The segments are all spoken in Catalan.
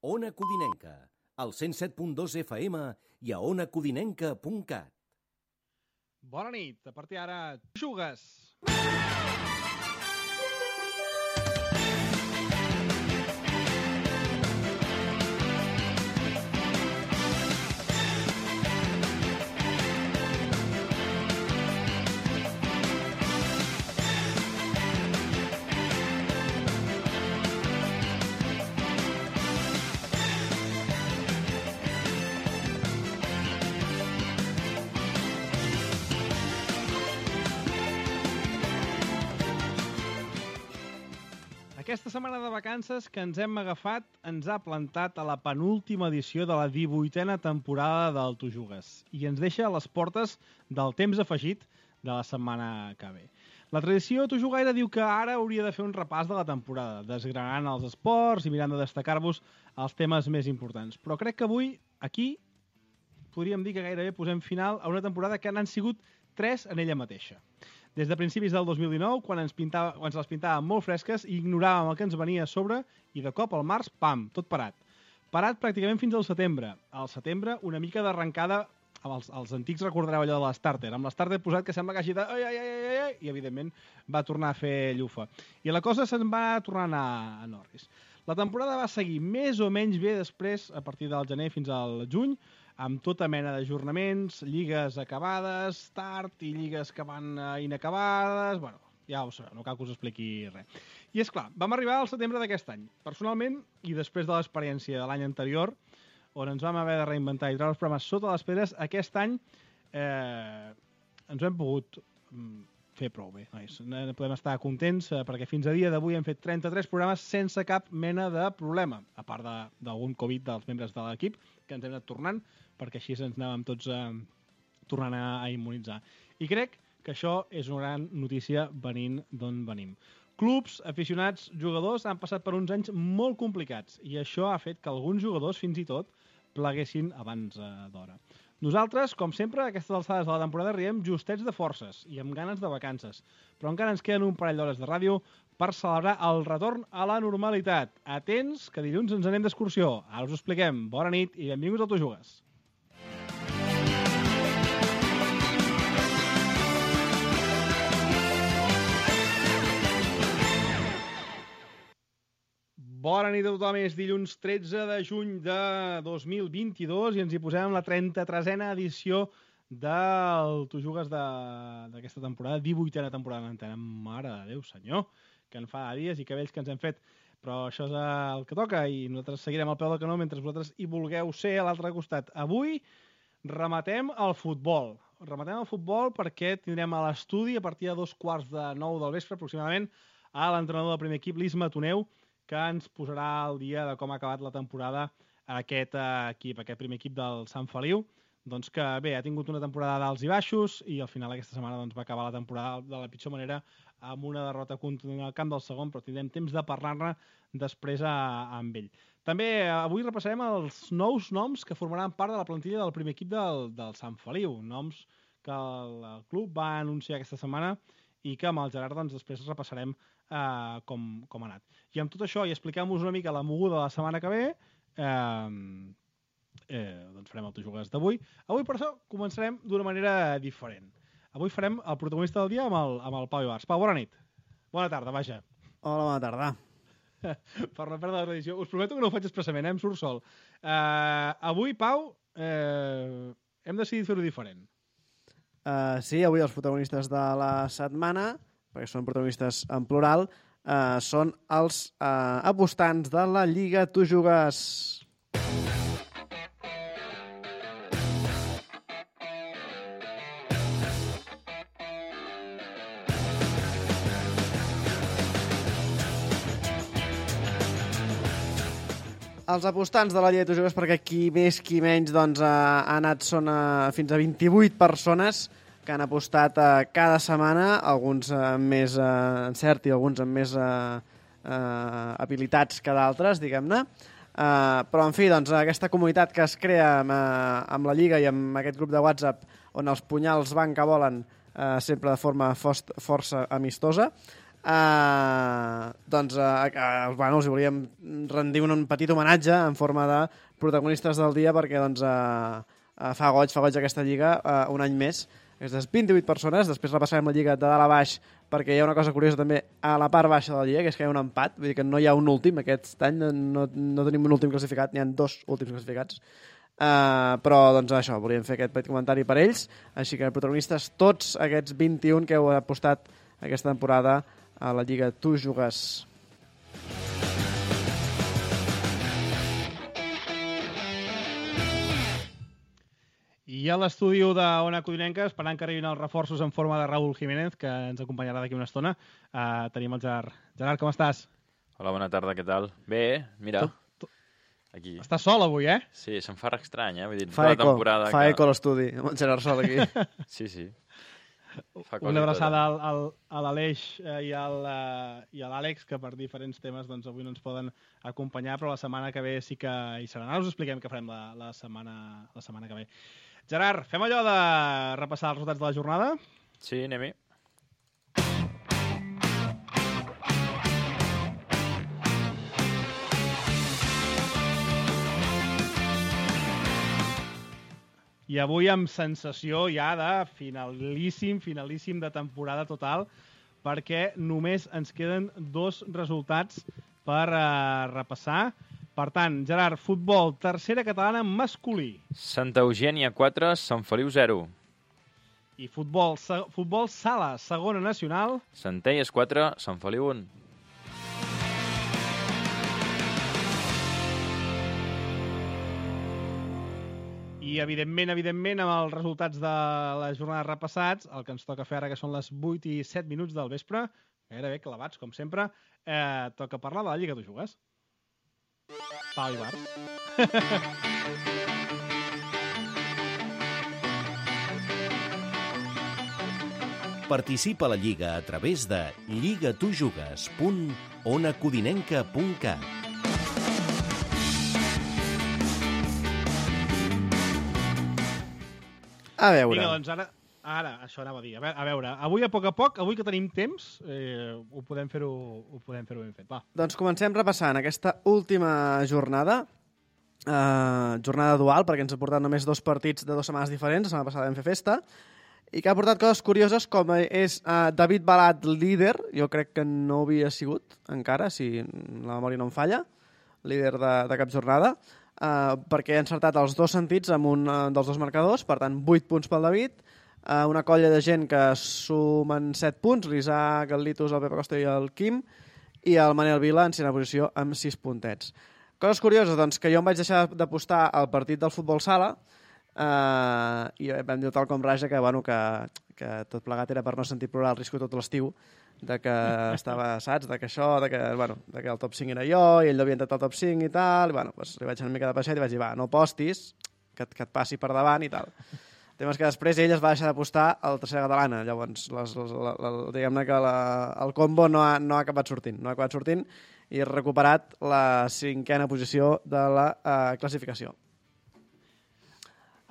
Ona Codinenca, al 107.2 FM i a onacodinenca.cat. Bona nit, a partir d'ara, jugues! Aquesta setmana de vacances que ens hem agafat ens ha plantat a la penúltima edició de la 18a temporada del Tu Jugues i ens deixa a les portes del temps afegit de la setmana que ve. La tradició Tu Jugaire diu que ara hauria de fer un repàs de la temporada, desgranant els esports i mirant de destacar-vos els temes més importants. Però crec que avui, aquí, podríem dir que gairebé posem final a una temporada que n'han sigut 3 en ella mateixa. Des de principis del 2019, quan se les pintàvem molt fresques i ignoràvem el que ens venia a sobre, i de cop al març, pam, tot parat. Parat pràcticament fins al setembre. Al setembre, una mica d'arrencada, els antics recordareu allò de l'Starter, amb l'Starter posat que sembla que hagi de... i evidentment va tornar a fer llufa. I la cosa se'n va tornar a anar a Norris. La temporada va seguir més o menys bé després, a partir del gener fins al juny, amb tota mena d'ajornaments, lligues acabades, tard i lligues que van inacabades... Bueno, ja ho sabeu, no cal que us expliqui res. I és clar, vam arribar al setembre d'aquest any. Personalment, i després de l'experiència de l'any anterior, on ens vam haver de reinventar i treure els programes sota les pedres, aquest any ens ho hem pogut fer prou bé. Nois. Podem estar contents perquè fins a dia d'avui hem fet 33 programes sense cap mena de problema, a part d'algun Covid dels membres de l'equip, que ens hem anat tornant, perquè així ens anàvem tots tornant a immunitzar. I crec que això és una gran notícia venint d'on venim. Clubs, aficionats, jugadors han passat per uns anys molt complicats i això ha fet que alguns jugadors fins i tot pleguessin abans d'hora. Nosaltres, com sempre, a aquestes alçades de la temporada riem justets de forces i amb ganes de vacances, però encara ens queden un parell d'hores de ràdio per celebrar el retorn a la normalitat. Atents, que dilluns ens anem d'excursió. Ara us ho expliquem. Bona nit i benvinguts al Tu Jugues. Bona nit a tothom, és dilluns 13 de juny de 2022 i ens hi posem la 33a edició del Tu Jugues d'aquesta temporada, 18a temporada d'antena. Mare de Déu, senyor, que en fa dies i que vells que ens hem fet. Però això és el que toca i nosaltres seguirem al peu del canó mentre vosaltres hi vulgueu ser a l'altre costat. Avui rematem el futbol. Rematem el futbol perquè tindrem a l'estudi a partir de 8:45 del vespre aproximadament a l'entrenador del primer equip, l'Isma Toneu, que ens posarà al dia de com ha acabat la temporada aquest equip, aquest primer equip del Sant Feliu. Doncs que bé, ha tingut una temporada d'alts i baixos i al final aquesta setmana doncs, va acabar la temporada de la pitjor manera amb una derrota contundent al camp del segon, però tindrem temps de parlar-ne després amb ell. També avui repassarem els nous noms que formaran part de la plantilla del primer equip del Sant Feliu, noms que el club va anunciar aquesta setmana i que amb el Gerard doncs, després repassarem com ha anat. I amb tot això, i expliquem-vos una mica la moguda de la setmana que ve, doncs farem el Tu Jugues d'avui. Avui, per això, començarem d'una manera diferent. Avui farem el protagonista del dia amb el Pau Ibars. Pau, bona nit. Bona tarda, vaja. Hola, bona tarda. Per no perdre la tradició. Us prometo que no ho faig expressament, em surt sol. Avui, Pau, hem decidit fer-ho diferent. Sí, avui els protagonistes de la setmana, perquè són protagonistes en plural, són els apostants de la Lliga Tu Jugues. Els apostants de la Lliga Tu Jugues, perquè qui més qui menys doncs, ha anat són fins a 28 persones que han apostat cada setmana, alguns amb més encert i alguns amb més habilitats que d'altres, diguem-ne. Però, en fi, doncs, aquesta comunitat que es crea amb la Lliga i amb aquest grup de WhatsApp on els punyals van que volen sempre de forma força amistosa, Bueno, els volíem rendir un petit homenatge en forma de protagonistes del dia perquè doncs, fa goig aquesta lliga un any més. Aquestes 28 persones, després repassarem la lliga de dalt a baix perquè hi ha una cosa curiosa també a la part baixa de la lliga, que és que hi ha un empat, vull dir que no hi ha un últim, aquest any no tenim un últim classificat, n'hi ha 2 últims classificats. Però doncs això, volíem fer aquest petit comentari per ells, així que protagonistes tots aquests 21 que heu apostat aquesta temporada a la Lliga Tu Jugues. I a l'estudi d'Ona Codinenca, esperant que arribin els reforços en forma de Raúl Jiménez, que ens acompanyarà d'aquí una estona, tenim el Gerard. Gerard, com estàs? Hola, bona tarda, què tal? Bé, mira, aquí. Estàs sol avui, eh? Sí, se'm fa estrany, Vull dir, Fa tota la temporada eco a l'estudi, amb el Gerard Sol aquí. Sí. Una abraçada a l'Aleix i a l'Àlex, que per diferents temes doncs, avui no ens poden acompanyar, però la setmana que ve sí que hi seran. Ara us expliquem què farem la setmana que ve. Gerard, fem allò de repassar els resultats de la jornada? Sí, anem-hi. I avui amb sensació ja de finalíssim de temporada total, perquè només ens queden 2 resultats per repassar. Per tant, Gerard, futbol, tercera catalana masculí. Santa Eugènia 4, Sant Feliu 0. I futbol sala, segona nacional. Centelles 4, Sant Feliu 1. I, evidentment, amb els resultats de la jornada repassats, el que ens toca fer ara, que són les 8 i 7 minuts del vespre, gairebé clavats, com sempre, toca parlar de la Lliga Tu Jugues. Pau i Bart. Participa a la Lliga a través de lligatujugues.onacodinenca.cat. A veure. Vinga, doncs ara, això anava a dir. A veure, avui a poc, avui que tenim temps, ho podem fer-ho ben fet. Va. Doncs comencem repassant aquesta última jornada. Jornada dual, perquè ens ha portat només 2 partits de 2 setmanes diferents. La setmana passada vam fer festa. I que ha portat coses curioses, com és David Balat líder. Jo crec que no havia sigut encara, si la memòria no em falla, líder de cap jornada. Perquè ha encertat els 2 sentits amb un dels 2 marcadors, per tant 8 punts pel David, una colla de gent que sumen 7 punts, l'Isaac, el Litus, el Pepe Costa i el Quim, i el Manel Vila en 6a posició amb 6 puntets. Coses curioses, doncs, que jo em vaig deixar d'apostar al partit del futbol sala i vam dir tal com raja que tot plegat era per no sentir plorar el risco tot l'estiu, de que estava, saps, de que el top 5 era jo i ell no havia entrat al top 5 i tal, i doncs li vaig anar una mica de peixet i vaig dir, no postis, que et passi per davant i tal. El tema és que després ell es va deixar d'apostar a la tercera catalana, llavors diguem-ne que el combo no ha acabat sortint, i ha recuperat la 5a posició de la classificació.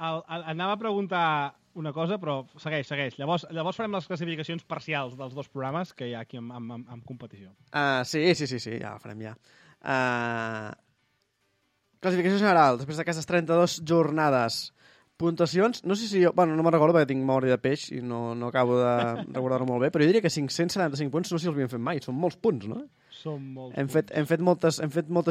Anava a preguntar una cosa, però segueix. Llavors farem les classificacions parcials dels 2 programes que hi ha aquí en competició. Sí, ja la farem ja. Classificació general, després d'aquestes 32 jornades. Puntuacions, no sé si jo... no me'n recordo perquè tinc memòria de peix i no acabo de recordar-ho molt bé, però jo diria que 575 punts no sé si els havíem fet mai, són molts punts, no? Són molts punts. Hem fet moltes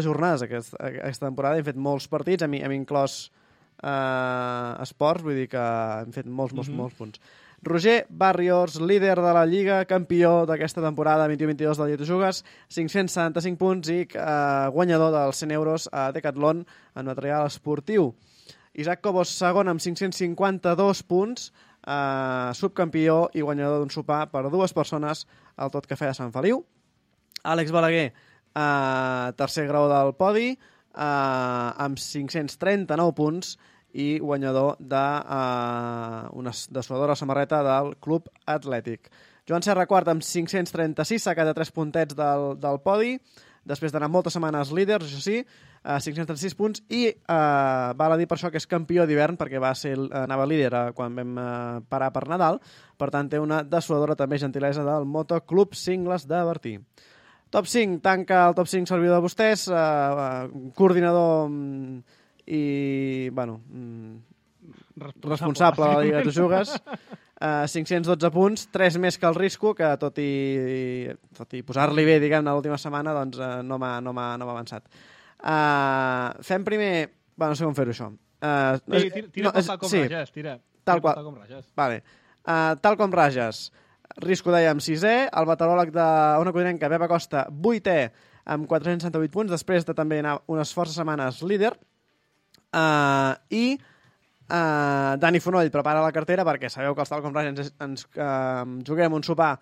jornades aquesta temporada, hem fet molts partits, hem inclòs esports, vull dir que hem fet molts punts. Roger Barrios, líder de la Lliga, campió d'aquesta temporada 21-22 de la Lliga Tu Jugues, 575 punts i guanyador dels 100 euros a Decathlon en material esportiu. Isaac Cobos, segon amb 552 punts, subcampió i guanyador d'un sopar per 2 persones al Tot Cafè de Sant Feliu. Àlex Balaguer, tercer grau del podi, amb 539 punts i guanyador d'una dessuadora samarreta del Club Atlètic. Joan Serra, quart, amb 536, s'ha quedat 3 puntets del podi. després d'anar moltes setmanes líders, això sí, 536 punts, i val a dir per això que és campió d'hivern, perquè anava líder quan vam parar per Nadal, per tant té una dessuadora també gentilesa del Motoclub Cingles de Bertí. Top 5, tanca el top 5 servidor de vostès, coordinador i, bueno, responsable de la Lliga de Tu Jugues, 512 punts, 3 més que el Risco, que tot i posar-li bé, diguem-ne, l'última setmana, doncs no m'ha avançat. Fem primer... Bueno, no sé com fer-ho, això. Tira tal com rages, tira. Tal com rages. Vale. Tal com rages. Risco, dèiem, 6è, el meteoròleg d'una codinenca, Pep Acosta, 8è, amb 468 punts, després de també anar unes forces setmanes líder, i Dani Fonoll prepara la cartera, perquè sabeu que els Tal com rages ens juguem un sopar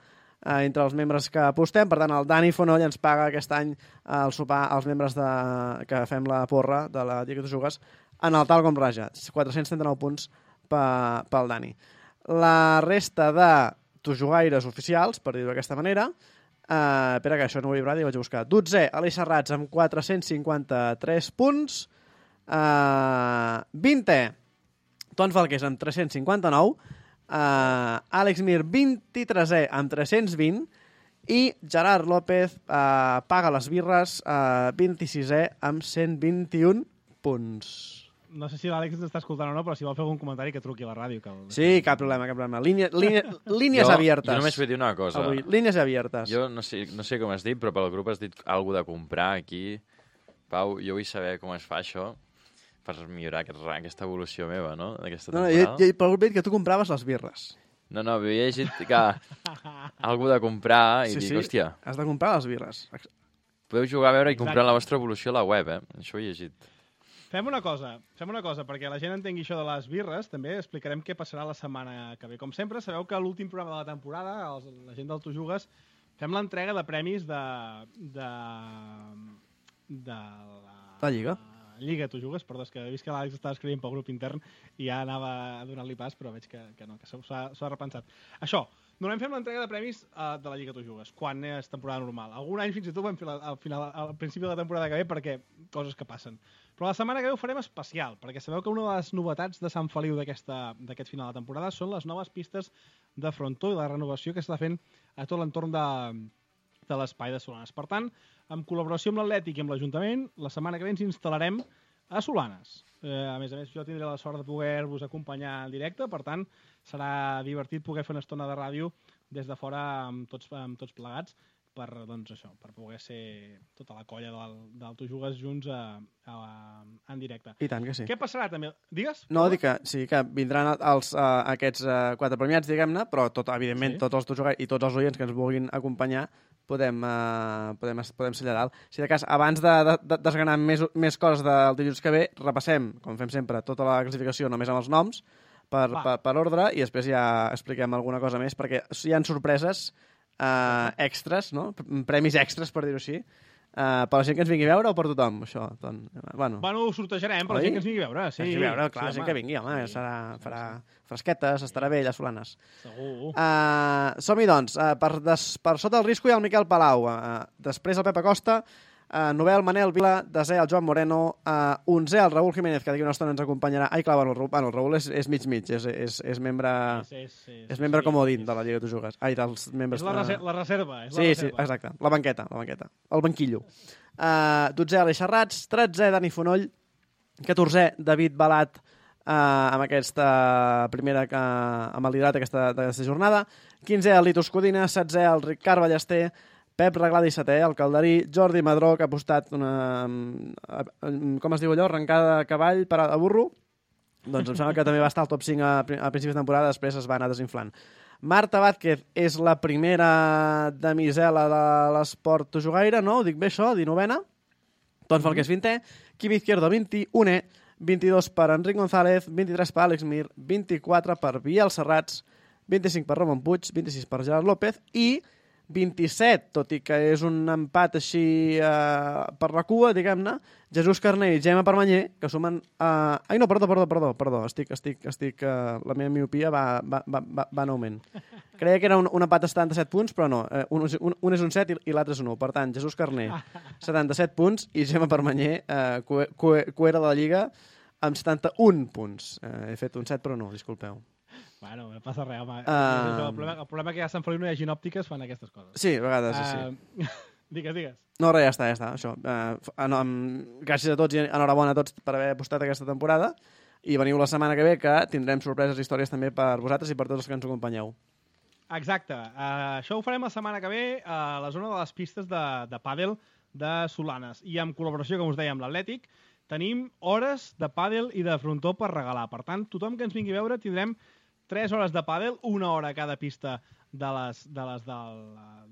entre els membres que apostem, per tant el Dani Fonoll ens paga aquest any el sopar als membres que fem la porra de la Lliga de Tu Jugues en el Tal com raja, 439 punts pel Dani. La resta de tujugaires oficials, per dir-ho d'aquesta manera, espera que això no ho he vibrat i vaig a buscar. 12è, Aleix Serrats amb 453 punts, 20è, Ton Falqués amb 359, Àlex Mir 23è amb 320 i Gerard López paga les birres 26è amb 121 punts. No sé si l'Àlex ens està escoltant o no, però si vol fer algun comentari que truqui a la ràdio. Sí, cap problema. Línies abiertes. Jo només vull dir una cosa. Avui, línies abiertes. Jo no sé com has dit, però pel grup has dit alguna de comprar aquí. Pau, jo vull saber com es fa això per millorar aquesta evolució meva, no? D'aquesta temporada. Jo pel grup he dit que tu compraves les birres. No, havia llegit que algú de comprar i dic, hòstia... Has de comprar les birres. Podeu jugar a veure i comprar la vostra evolució a la web, Això ho he llegit. Fem una cosa, perquè la gent entengui això de les birres, també explicarem què passarà la setmana que ve. Com sempre, sabeu que a l'últim programa de la temporada, la gent del Tu Jugues, fem l'entrega de premis de la Lliga. Lliga Tu Jugues, perdó, és que he vist que l'Àlex estava escrivint pel grup intern i ja anava a donar-li pas, però veig que no, que s'ha repensat. Això, normalment fem l'entrega de premis de la Lliga Tu Jugues, quan és temporada normal. Algun any fins i tot vam fer al principi de la temporada que ve perquè coses que passen. Però la setmana que ve ho farem especial, perquè sabeu que una de les novetats de Sant Feliu d'aquest final de temporada són les noves pistes de frontó i la renovació que s'està fent a tot l'entorn de l'espai de Solanes. Per tant, en col·laboració amb l'Atlètic i amb l'Ajuntament, la setmana que ve ens instal·larem a Solanes. A més, jo tindré la sort de poder-vos acompanyar en directe, per tant, serà divertit poder fer una estona de ràdio des de fora amb tots plegats, per poder ser tota la colla del Tu Jugues junts en directe. I tant que sí. Què passarà també? Digues? No, dic que vindran aquests 4 premiats, diguem-ne, però evidentment tots els Tu Jugues i tots els oients que ens vulguin acompanyar podem ser allà dalt. Si de cas, abans de desgranar més coses del dilluns que ve, repassem, com fem sempre, tota la classificació només amb els noms, per ordre, i després ja expliquem alguna cosa més, perquè hi ha sorpreses extras, no? Premis extras, per dir-ho així, per la gent que ens vingui a veure o per tothom, això? Bueno, ho sortejarem per la gent que ens vingui a veure. Sí, clar, la gent que vingui, home, farà fresquetes, estarà bé allà a Solanes. Segur. Som-hi, doncs. Per sota el Risco hi ha el Miquel Palau, després el Pep Acosta, 9è el Manel Vila, 10è el Joan Moreno, 11è el Raül Jiménez, que d'aquí una estona ens acompanyarà. Ai, clar, el Raül és mig, és membre comodín de la Lliga de Tu Jugues. Ai, dels membres... És la reserva. Sí, exacte, la banqueta, el banquillo. 12è Aleix Serrats, 13è Dani Fonoll, 14è David Balat, amb aquesta primera amb el liderat d'aquesta jornada, 15è el Litus Codina, 16è el Ricard Ballester, Pep Reglà 17è, el Calderí, Jordi Madró, que ha apostat una... com es diu allò? Arrencada de cavall per a burro? Doncs em sembla que també va estar al top 5 a principis de temporada, després es va anar desinflant. Marta Vázquez és la primera damisela de l'esport tujugaire, no? Ho dic bé això? 19a. Ton Falqués 20è. Quim Izquierdo 21è. 22 per Enric González, 23 per Àlex Mir, 24 per Biel Serrats, 25 per Ramon Puig, 26 per Gerard López i 27, tot i que és un empat així per la cua, diguem-ne, Jesús Carner i Gemma Permanyer, que sumen... Ai, no, perdó. Estic la meva miopia va en augment. Creia que era un empat de 77 punts, però no. Un és un 7 i l'altre és un 1. Per tant, Jesús Carner, 77 punts, i Gemma Permanyer, cuera de la Lliga, amb 71 punts. He fet un 7, però no, disculpeu. Bueno, no passa res, home. El problema que ja a Sant Feliu no hi hagi òptiques fan aquestes coses. Sí, a vegades sí. Digues. No, res, ja està, això. Gràcies a tots i enhorabona a tots per haver apostat aquesta temporada i veniu la setmana que ve, que tindrem sorpreses i històries també per vosaltres i per tots els que ens acompanyeu. Exacte. Això ho farem la setmana que ve a la zona de les pistes de pàdel de Solanes. I en col·laboració, com us deia, amb l'Atlètic, tenim hores de pàdel i de frontó per regalar. Per tant, tothom que ens vingui a veure tindrem 3 hores de pàdel, 1 hora a cada pista de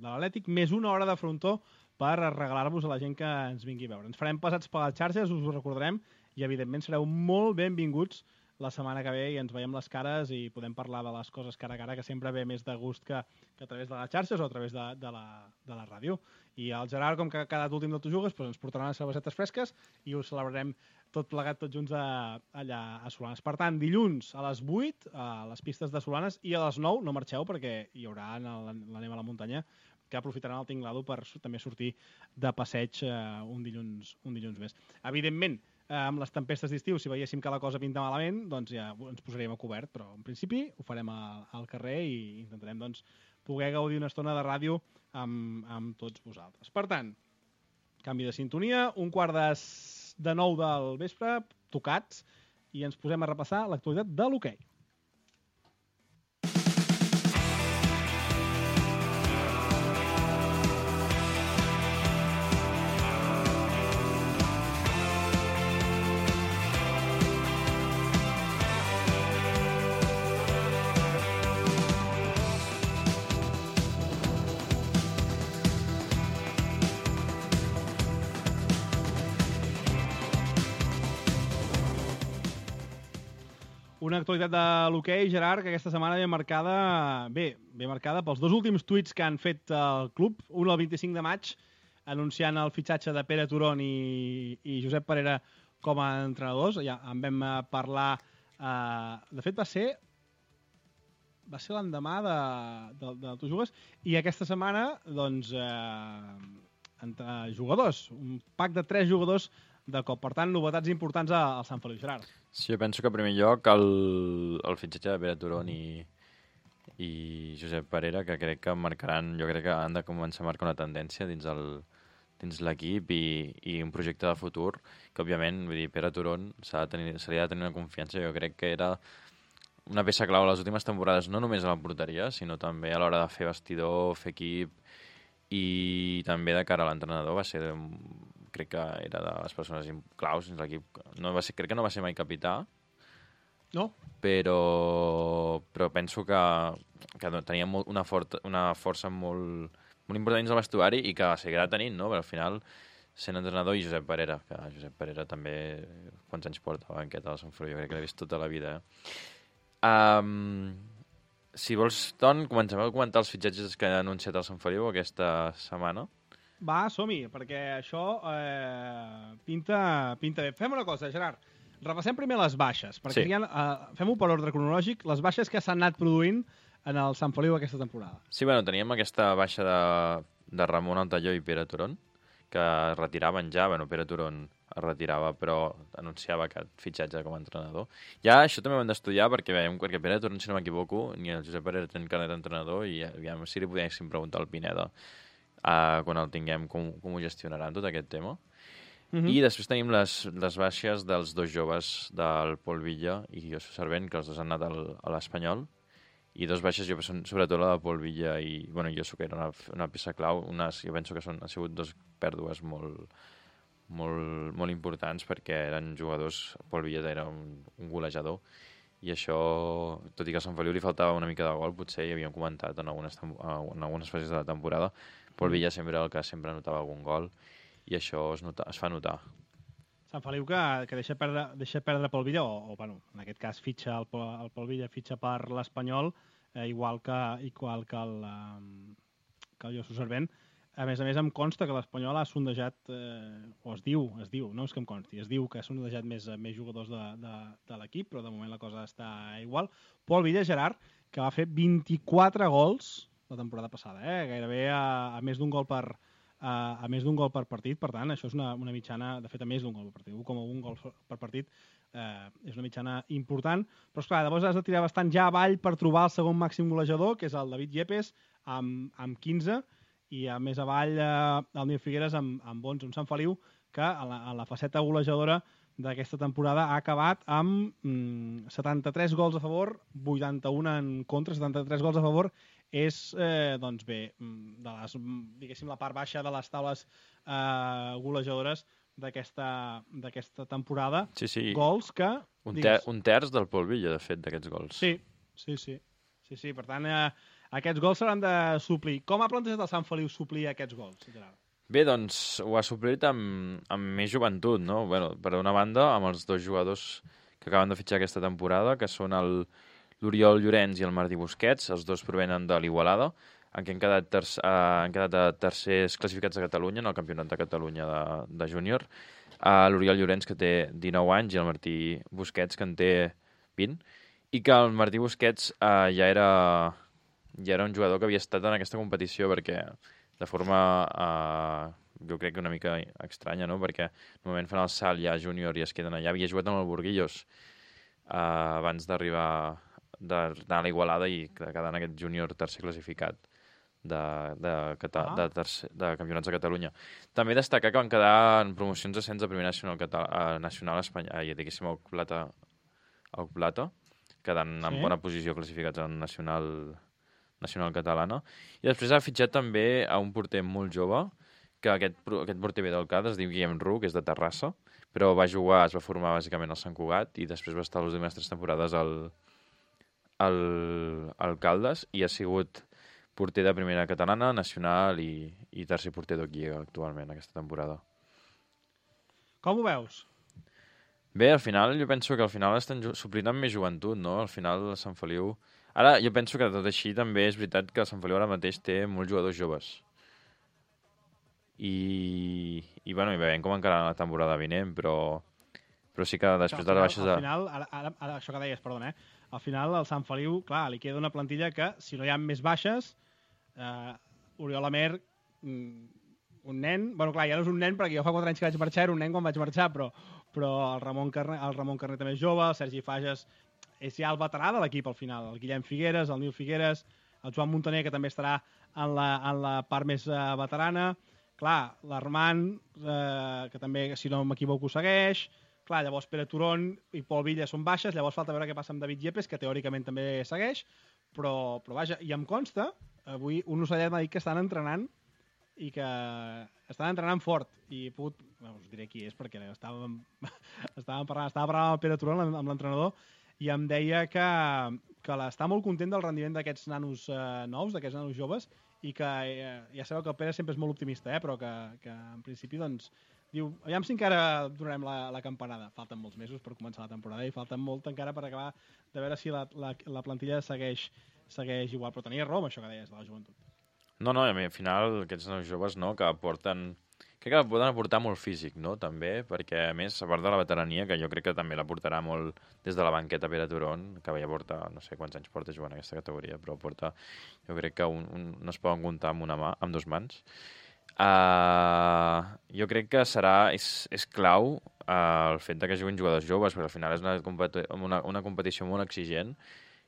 l'Atlètic, més 1 hora de frontó per regalar-vos a la gent que ens vingui a veure. Ens farem passats per les xarxes, us ho recordarem, i evidentment sereu molt benvinguts la setmana que ve i ens veiem les cares i podem parlar de les coses cara a cara, que sempre ve més de gust que a través de les xarxes o a través de la ràdio. I el Gerard, com que ha quedat últim del Tu Jugues, doncs ens portarà unes cervesetes fresques i ho celebrarem tot plegat, tots junts allà a Solanes. Per tant, dilluns a les 8 a les pistes de Solanes i a les 9 no marxeu perquè hi haurà la neu a la muntanya, que aprofitaran el tinglado per també sortir de passeig un dilluns més. Evidentment, amb les tempestes d'estiu, si veiéssim que la cosa pinta malament, doncs ja ens posaríem a cobert, però en principi ho farem al carrer i intentarem doncs, poder gaudir una estona de ràdio amb tots vosaltres. Per tant, canvi de sintonia, 8:45 del vespre, tocats, i ens posem a repassar l'actualitat de l'hoquei. Una actualitat de l'hoquei, Gerard, que aquesta setmana ve marcada pels 2 últims tuits que han fet el club. Un el 25 de maig, anunciant el fitxatge de Pere Turón i Josep Parera com a entrenadors. Ja en vam parlar... de fet, va ser l'endemà de Tu Jugues, i aquesta setmana, doncs, jugadors. Un pack de 3 jugadors de cop. Per tant, novetats importants al Sant Feliu, Gerard. Sí, jo penso que en primer lloc el fitxatge de Pere Turón i Josep Parera, que crec que marcaran, jo crec que han de començar a marcar una tendència dins l'equip i un projecte de futur, que òbviament, vull dir, Pere Turón se li ha de tenir una confiança. Jo crec que era una peça clau a les últimes temporades, no només a la porteria, sinó també a l'hora de fer vestidor, fer equip, i també de cara a l'entrenador va ser, crec que era de les persones claus dins l'equip. Crec que no va ser mai capità, no? Però penso que tenia una força molt important dins el vestuari i que seguirà tenint, no? Però al final, sent entrenador, i Josep Parera, que Josep Parera també, quants anys porta a la banqueta del Sant Feliu, jo crec que l'he vist tota la vida. Si vols, Ton, comencem a comentar els fitxatges que ha anunciat el Sant Feliu aquesta setmana. Va, som-hi, perquè això pinta bé. Fem una cosa, Gerard. Repassem primer les baixes, perquè sí. Fem-ho per ordre cronològic, les baixes que s'han anat produint en el Sant Feliu aquesta temporada. Sí, bueno, teníem aquesta baixa de Ramon Altalló i Pere Turón, que es retiraven ja. Bueno, Pere Turón es retirava, però anunciava aquest fitxatge com a entrenador. Ja això també ho hem d'estudiar, perquè veiem que Pere Turón, si no m'equivoco, ni el Josep Parera tenen carnet d'entrenador, i aviam si li podíem preguntar al Pineda quan el tinguem, com ho gestionaran tot aquest tema. I després tenim les baixes dels 2 joves del Pol Villa i Josu Servent, que els 2 han anat a l'Espanyol, i 2 baixes, sobretot la de Pol Villa i Josu, que era una peça clau. Jo penso que han sigut 2 pèrdues molt importants, perquè eren jugadors. Pol Villa era un golejador, i això, tot i que a Sant Feliu li faltava una mica de gol, potser hi havíem comentat en algunes fases de la temporada, Pol Villa sempre era el que sempre anotava algun gol, i això es fa notar. Sant Feliu que deixa perdre Pol Villa, o bueno, en aquest cas fitxa el Pol Villa, fitxa per l'Espanyol, igual que que el Josu Servent. A més, em consta que l'Espanyol ha sondejat, o es diu, no és que em consti, es diu que ha sondejat més jugadors de l'equip, però de moment la cosa està igual. Pol Villa, Gerard, que va fer 24 gols la temporada passada, gairebé a més d'un gol per partit, per tant, això és una mitjana, de fet, a més d'un gol per partit, 1,1 gols per partit, és una mitjana important, però esclar, llavors has de tirar bastant ja avall per trobar el segon màxim golejador, que és el David Yepes, amb 15, i a més avall el Nil Figueres amb 11, un Sant Feliu que a la faceta golejadora d'aquesta temporada ha acabat amb 73 gols a favor, 81 en contra. 73 gols a favor és, doncs bé, de les, diguéssim, la part baixa de les taules golejadores d'aquesta temporada. Sí. Gols que... Un terç del Pol Villa, de fet, d'aquests gols. Sí. Per tant, aquests gols s'hauran de suplir. Com ha plantejat el Sant Feliu suplir aquests gols, Gerard? Bé, doncs ho ha suplit amb més joventut, no? Bueno, per una banda, amb els dos jugadors que acaben de fitxar aquesta temporada, que són l'Oriol Llorenç i el Martí Busquets, els dos provenen de l'Igualada, en què han quedat tercers classificats a Catalunya, en el Campionat de Catalunya de júnior. L'Oriol Llorenç, que té 19 anys, i el Martí Busquets, que en té 20, i que el Martí Busquets ja era un jugador que havia estat en aquesta competició perquè de forma, jo crec que una mica estranya, no? Perquè normalment fan el salt ja júnior i es queden allà. Havia jugat amb el Burguillos abans d'anar a l'Igualada i quedar en aquest júnior tercer classificat de campionats de Catalunya. També destacar que van quedar en promocions d'ascens de primer nacional espanyol, diguéssim, el plata, quedant en bona posició classificats en nacional catalana. I després ha fitxat també a un porter molt jove, que aquest porter ve del CAD, es diu Guillem Ru, que és de Terrassa, però es va formar bàsicament al Sant Cugat i després va estar les últimes 3 temporades al Caldes i ha sigut porter de primera catalana, nacional i tercer porter d'Oquiega actualment aquesta temporada. Com ho veus? Bé, al final, jo penso que al final estan suplint amb més joventut, no? Al final, el Sant Feliu... Ara, jo penso que tot així també és veritat que el Sant Feliu ara mateix té molts jugadors joves. I veiem com encara la temporada vinent, però sí que després de les baixes... Al final, ara això que deies, perdona, al final el Sant Feliu, clar, li queda una plantilla que, si no hi ha més baixes, Oriol Amer, un nen... Bueno, clar, ja no és un nen perquè jo fa 4 anys que vaig marxar, era un nen quan vaig marxar, però el Ramon Carner també és jove, el Sergi Fages és ja el veterà de l'equip al final, el Guillem Figueres, el Nil Figueres, el Joan Montaner, que també estarà en la part més veterana, clar, l'Armand, que també, si no m'equivoco, segueix, clar, llavors Pere Turon i Pol Villa són baixes, llavors falta veure què passa amb David Yepes, que teòricament també segueix, però vaja, i em consta, avui un ocellet m'ha dit que estan entrenant i que estan entrenant fort i he pogut, us diré qui és perquè estava parlant amb Pere Turon, amb l'entrenador, i em deia que està molt content del rendiment d'aquests nanos nous, d'aquests nanos joves, i que ja sabeu que el Pere sempre és molt optimista, però que en principi doncs diu, aviam si encara donarem la campanada. Falten molts mesos per començar la temporada i falten molt encara per acabar de veure si la plantilla segueix igual, però tenia raó amb això que deies de la joventut. No, al final aquests nanos joves, no, que aporten... Crec que poden aportar molt físic, no?, també, perquè, a més, a part de la veterania, que jo crec que també l'aportarà molt des de la banqueta Pere Turon, que ja porta, no sé quants anys porta jugant en aquesta categoria, però porta, jo crec que no es poden comptar amb 2 mans. Jo crec que és clau el fet que juguin jugadors joves, perquè al final és una competició molt exigent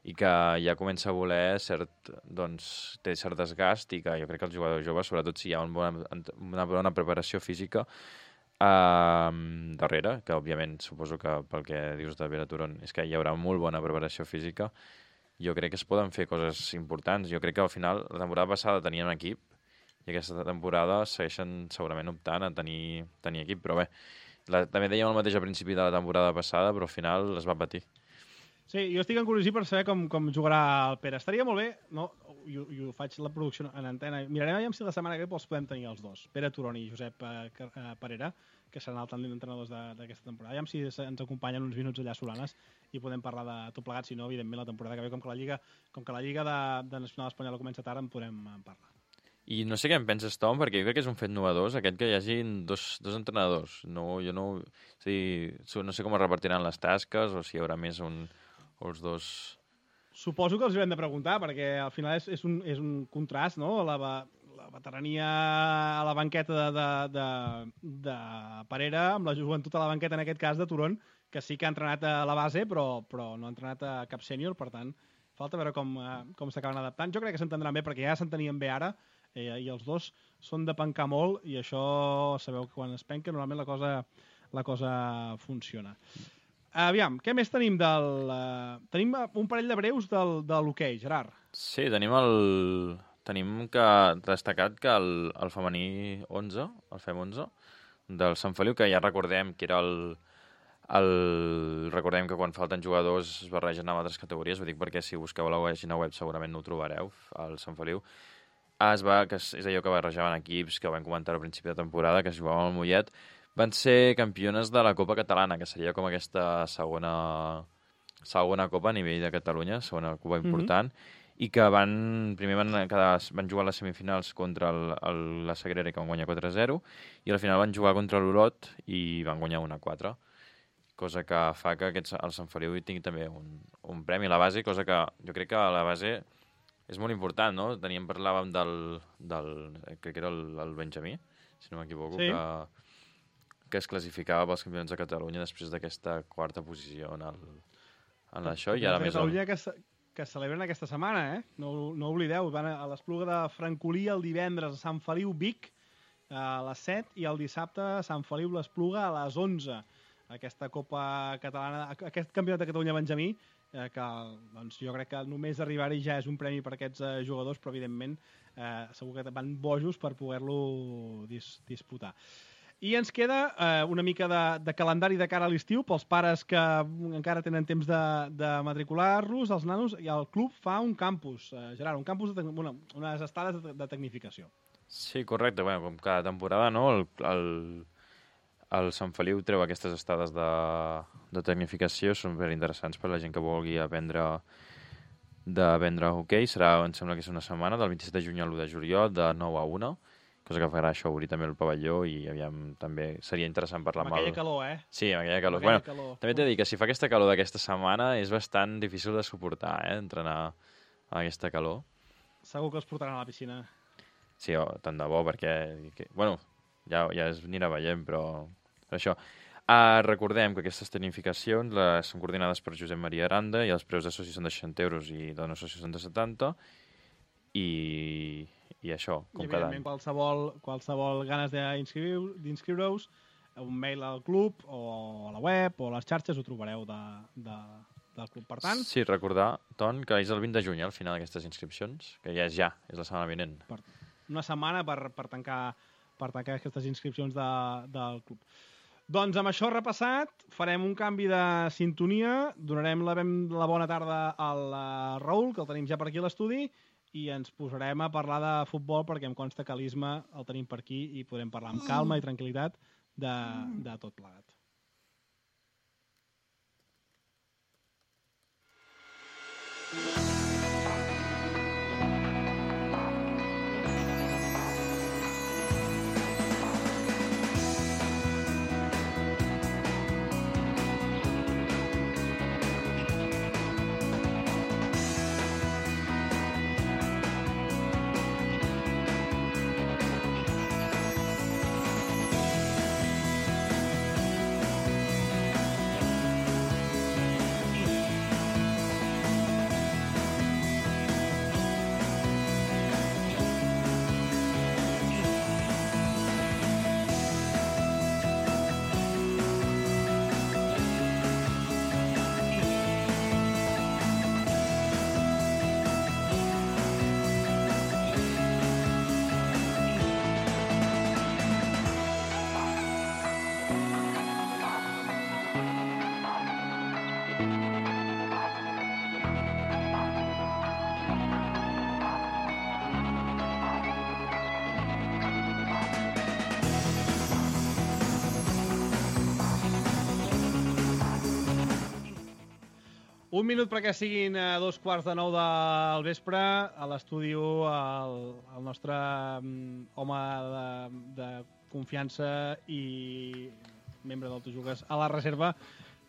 i que ja comença a voler té cert desgast i que jo crec que els jugadors joves, sobretot si hi ha una bona preparació física darrere, que òbviament suposo que pel que dius de Pere Turon és que hi haurà molt bona preparació física, jo crec que es poden fer coses importants. Jo crec que al final la temporada passada tenien equip i aquesta temporada segueixen segurament optant a tenir equip, però bé, també dèiem el mateix al principi de la temporada passada, però al final es va patir. Sí, jo estic encuriós per saber com jugarà el Pere. Estaria molt bé, no? I ho faig la producció en antena. Mirarem si la setmana que ve els podem tenir els dos, Pere Turon i Josep Parera, que seran el tàndem d'entrenadors d'aquesta temporada. Aviam si ens acompanyen uns minuts allà a Solanes i podem parlar de tot plegat, si no, evidentment, la temporada que ve, com que la Lliga de Nacional Espanyola comença tard, en podrem parlar. I no sé què en penses, Tom, perquè jo crec que és un fet novedós aquest que hi hagin dos entrenadors. No, jo no... És a dir, no sé com es repartiran les tasques o si hi haurà més o els dos... Suposo que els haurem de preguntar, perquè al final és un contrast, no? La veterania a la banqueta de Parera, amb la joventut a la banqueta, en aquest cas, de Turón, que sí que ha entrenat a la base, però no ha entrenat a cap sènior, per tant, falta veure com s'acaben adaptant. Jo crec que s'entendran bé, perquè ja s'entenien bé ara, i els dos són de pencar molt, i això sabeu que quan es penca normalment la cosa funciona. Aviam, què més tenim tenim un parell de breus de l'hoquei, Gerard. Sí, tenim destacat que el femení 11, el FEM 11, del Sant Feliu, que ja recordem que era recordem que quan falten jugadors es barregen amb altres categories, ho dic perquè si busqueu a la pàgina web segurament no ho trobareu, al Sant Feliu. És allò que barrejaven equips, que vam comentar al principi de temporada, que es jugaven al Mollet, van ser campiones de la Copa Catalana, que seria com aquesta segona Copa a nivell de Catalunya, segona Copa important, i que primer van jugar a les semifinals contra la Sagrera, que van guanyar 4-0, i al final van jugar contra l'Olot i van guanyar 1-4, cosa que fa que el Sant Feliu tingui també un premi a la base, cosa que jo crec que a la base és molt important, no? Parlàvem crec que era el Benjamí, si no m'equivoco, sí, que es classificava pels campions de Catalunya després d'aquesta quarta posició en això, i ara més... Catalunya que celebren aquesta setmana, No oblideu, van a l'Espluga de Francolí el divendres a Sant Feliu Vic a les 7 i el dissabte a Sant Feliu l'Espluga a les 11. Aquesta Copa Catalana, aquest Campionat de Catalunya Benjamí, que doncs, jo crec que només arribar-hi ja és un premi per aquests jugadors, però evidentment segur que van bojos per poder-lo disputar. I ens queda una mica de calendari de cara a l'estiu pels pares que encara tenen temps de matricular-los, els nanos, i el club fa un campus, Gerard, un campus, unes estades de tecnificació. Sí, correcte. Bueno, com cada temporada, no? El Sant Feliu treu aquestes estades de tecnificació, són ben interessants per a la gent que vulgui aprendre hoquei. Em sembla que és una setmana, del 27 de juny al 1 de juliol, de 9 a 1, cosa que farà això obrir també el pavelló i aviam, també seria interessant parlar amb aquella calor, Sí, amb aquella calor. També t'he de dir que si fa aquesta calor d'aquesta setmana és bastant difícil de suportar, entrenar a aquesta calor. Segur que els portaran a la piscina. Sí, tant de bo, perquè... Bueno, ja es anirà veient, però això. Recordem que aquestes tecnificacions són coordinades per Josep Maria Aranda i els preus de soci són de 60 euros i de no soci són de 70, i això, com cada any. Qualsevol ganes d'inscriure-us, un mail al club o a la web o a les xarxes ho trobareu del club. Per tant... Sí, recordar, Ton, que és el 20 de juny al final d'aquestes inscripcions, que ja és la setmana vinent. Una setmana per tancar aquestes inscripcions del club. Doncs amb això repassat, farem un canvi de sintonia, donarem la bona tarda al Raül, que el tenim ja per aquí a l'estudi, i ens posarem a parlar de futbol, perquè em consta que l'Isma el tenim per aquí i podrem parlar amb calma i tranquil·litat de tot plegat. Un minut perquè siguin 2:15 del vespre. A l'estudi el nostre home de confiança i membre del Tu Jugues a la reserva,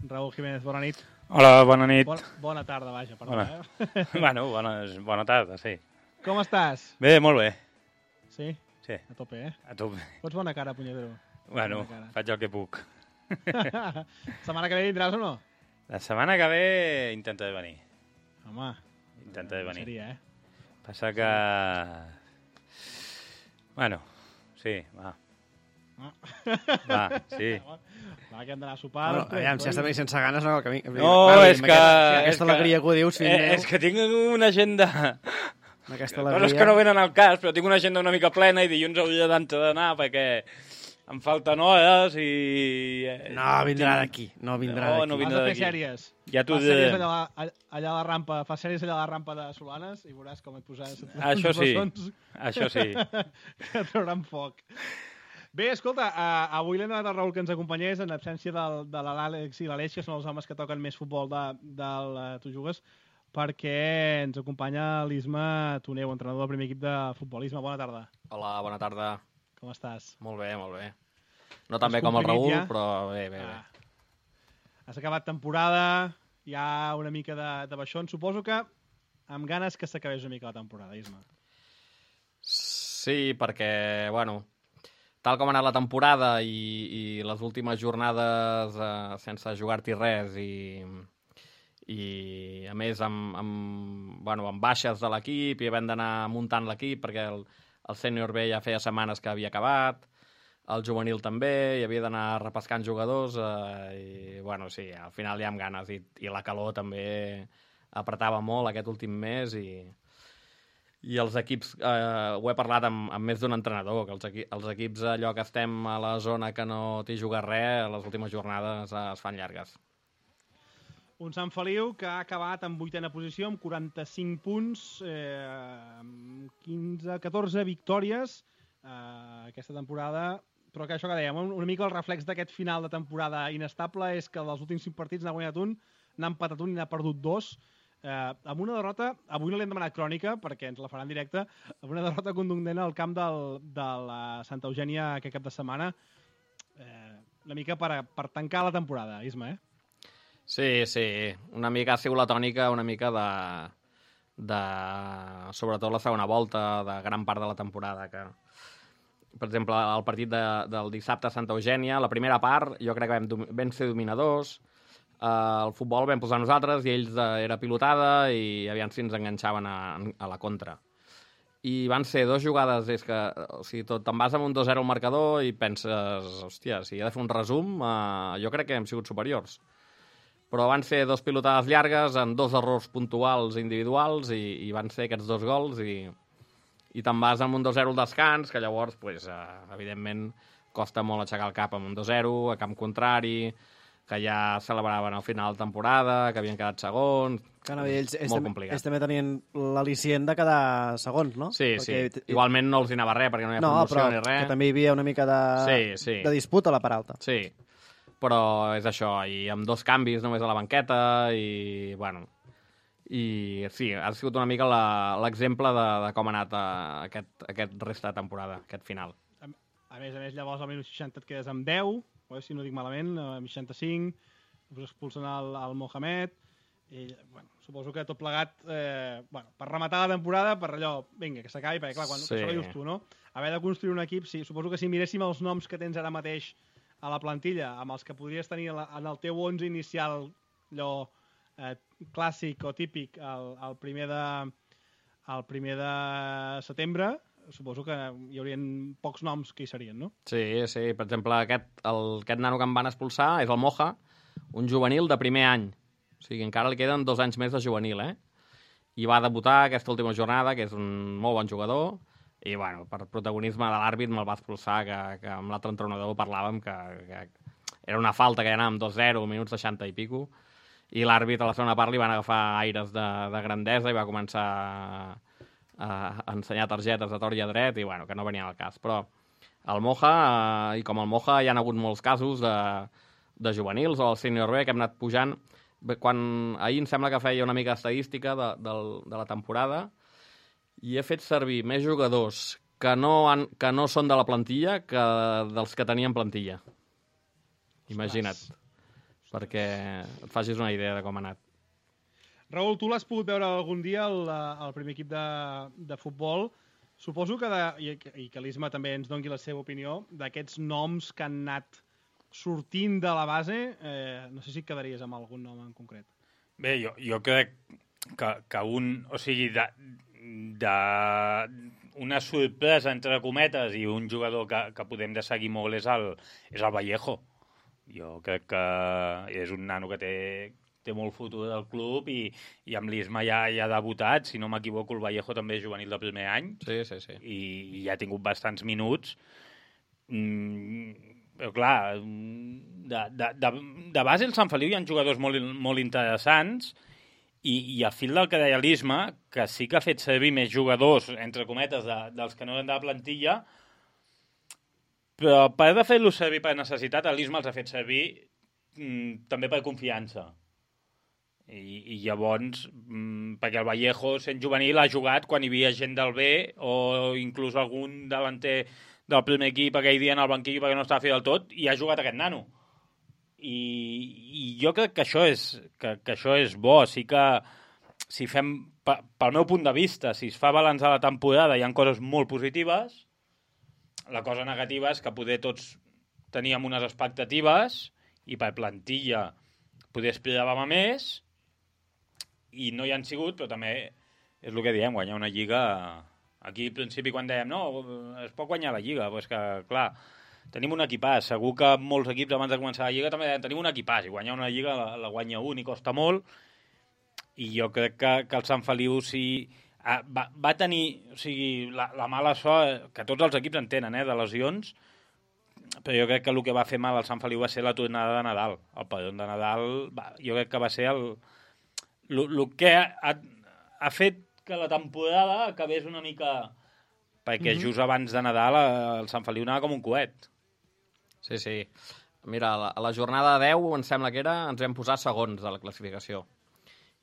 Raúl Jiménez. Bona nit. Hola, bona nit. Bona tarda, vaja, perdó. Bona. Bueno, bona tarda, sí. Com estàs? Bé, molt bé. Sí? Sí. A tope, eh? A tope. Fots bona cara, punyetero. Bueno, faig el que puc. Setmana que ve vindràs o no? La setmana que ve intentaré venir. Home. Intentaré venir. Seria, Passa que... Bueno, sí, va. Va, sí. Va, que hem d'anar a sopar. Bueno, aviam, si has de venir sense ganes, no, el camí. No, és que... Aquesta alegria que ho dius, fill meu. És que tinc una agenda... Aquesta Coses alegria... que no venen al cas, però tinc una agenda una mica plena i dilluns hauria d'anar perquè em falten hores i... No vindrà d'aquí, no vindrà d'aquí. No Has vindrà de fer d'aquí. sèries. Ja t'ho Fas diré. sèries allà a la rampa, fas sèries allà a la rampa de Solanes i veuràs com et posaràs... Això sí, això sí. Que trauran foc. Bé, escolta, avui l'hem demanat al Raül que ens acompanyés en absència de l'Àlex i l'Aleix, que són els homes que toquen més futbol del Tu Jugues, perquè ens acompanya l'Isma Toneu, entrenador del primer equip de futbol. Isma, bona tarda. Hola, bona tarda. Com estàs? Molt bé, molt bé. No tan bé com el Raül, ja? però bé. Has acabat temporada, hi ha una mica de baixón. Suposo que amb ganes que s'acabés una mica la temporada, Isma. Sí, perquè, bueno, tal com ha anat la temporada i les últimes jornades sense jugar-t'hi res i a més amb baixes de l'equip i havent d'anar muntant l'equip perquè el sènior B ja feia setmanes que havia acabat, el juvenil també, i havia d'anar repescant jugadors i, bueno, sí, al final ja amb ganes i la calor també apretava molt aquest últim mes i els equips, ho he parlat amb més d'un entrenador, que els equips allò que estem a la zona que no t'hi jugues res, les últimes jornades es fan llargues. Un Sant Feliu que ha acabat en 8ª posició amb 45 punts, 14 victòries aquesta temporada, però que això que dèiem, una mica el reflex d'aquest final de temporada inestable és que dels últims 5 partits n'ha guanyat un, n'ha empatat un i n'ha perdut 2, amb una derrota, avui no l'hem demanat crònica perquè ens la faran directe, amb una derrota contundent al camp de la Santa Eugènia aquest cap de setmana, una mica per tancar la temporada, Isma, Sí, una mica ha sigut la tònica, una mica de sobretot la segona volta de gran part de la temporada, que per exemple, el partit del dissabte a Santa Eugènia, la primera part jo crec que vam ser dominadors, el futbol vam posar nosaltres i ells era pilotada i aviam si ens enganxaven a la contra. I van ser 2 jugades, és que o sigui, te'n vas amb un 2-0 al marcador i penses, hòstia, si he de fer un resum, jo crec que hem sigut superiors. Però van ser 2 pilotades llargues amb 2 errors puntuals individuals i van ser aquests 2 gols i te'n vas amb un 2-0 al descans, que llavors, pues, evidentment, costa molt aixecar el cap amb un 2-0, a camp contrari, que ja celebraven al final de temporada, que havien quedat segons... Ells molt complicat. Ells també tenien l'al·licient de quedar segons, no? Sí. Igualment no els hi anava res, perquè no hi ha promoció ni res. No, però que també hi havia una mica de disputa a la part alta. Sí, però és això, i amb 2 canvis només a la banqueta, i, bueno... I sí, ha sigut una mica l'exemple de com ha anat aquest resta de temporada, aquest final. A més, llavors al minut 60 et quedes amb 10, si no dic malament, a 65, expulsen el Mohamed, i bueno, suposo que tot plegat, per rematar la temporada, per allò, vinga, que s'acabi, perquè clar, quan això ho dius tu, no? Haver de construir un equip, sí, suposo que si miréssim els noms que tens ara mateix a la plantilla, amb els que podries tenir en el teu 11 inicial, allò clàssic o típic el primer de setembre, suposo que hi haurien pocs noms que hi serien, no? Sí, per exemple, aquest nano que em van expulsar és el Moja, un juvenil de primer any, o sigui, encara li queden 2 anys més de juvenil, i va debutar aquesta última jornada, que és un molt bon jugador, i bueno, per protagonisme de l'àrbit me'l va expulsar, que amb l'altre entrenador parlàvem que era una falta, que ja anàvem 2-0, minuts 60 i pico, i l'àrbit a la segona part li van agafar aires de grandesa i va començar a ensenyar targetes de tort i a dret i bueno, que no venia al cas. Però el Moja, i com el Moja hi ha hagut molts casos de juvenils o el sènior B que hem anat pujant, Ahir em sembla que feia una mica estadística de la temporada i he fet servir més jugadors que no són de la plantilla que dels que tenien plantilla. Imagina't. Perquè et facis una idea de com ha anat. Raül, tu l'has pogut veure algun dia al primer equip de futbol. Suposo que, i que l'Isma també ens doni la seva opinió, d'aquests noms que han anat sortint de la base, no sé si et quedaries amb algun nom en concret. Bé, jo crec que o sigui, una sorpresa, entre cometes, i un jugador que podem de seguir molt és el Vallejo. Jo crec que és un nano que té molt futur del club i amb l'Isma ja ha debutat, si no m'equivoco el Vallejo també és juvenil de primer any. Sí. I ja ha tingut bastants minuts. Però clar, de base al Sant Feliu hi ha jugadors molt interessants i a fil del que deia l'Isma, que sí que ha fet servir més jugadors, entre cometes, dels que no eren de la plantilla, però a part de fer-los servir per necessitat, l'Isma els ha fet servir també per confiança. I llavors, perquè el Vallejo, sent juvenil, ha jugat quan hi havia gent del B o inclús algun delanter del primer equip aquell dia en el banquillo perquè no estava fet del tot, i ha jugat aquest nano. I jo crec que això és bo. Sí que, si fem, pel meu punt de vista, si es fa balanç de la temporada, hi ha coses molt positives. La cosa negativa és que poder tots teníem unes expectatives i per plantilla poder esperàvem a més, i no hi han sigut, però també és el que diem, guanyar una lliga. Aquí al principi quan dèiem no, es pot guanyar la lliga, però és que clar, tenim un equipàs, segur que molts equips abans de començar la lliga també deien tenim un equipàs, i guanyar una lliga la guanya un i costa molt, i jo crec que el Sant Feliu va tenir, o sigui, la mala sort que tots els equips en tenen, de lesions, però jo crec que el que va fer mal al Sant Feliu va ser la tornada de Nadal. El padrón de Nadal, jo crec que va ser el que ha fet que la temporada acabés una mica... Perquè just abans de Nadal el Sant Feliu anava com un coet. Sí. Mira, a la jornada 10, em sembla que era, ens vam posar segons de la classificació.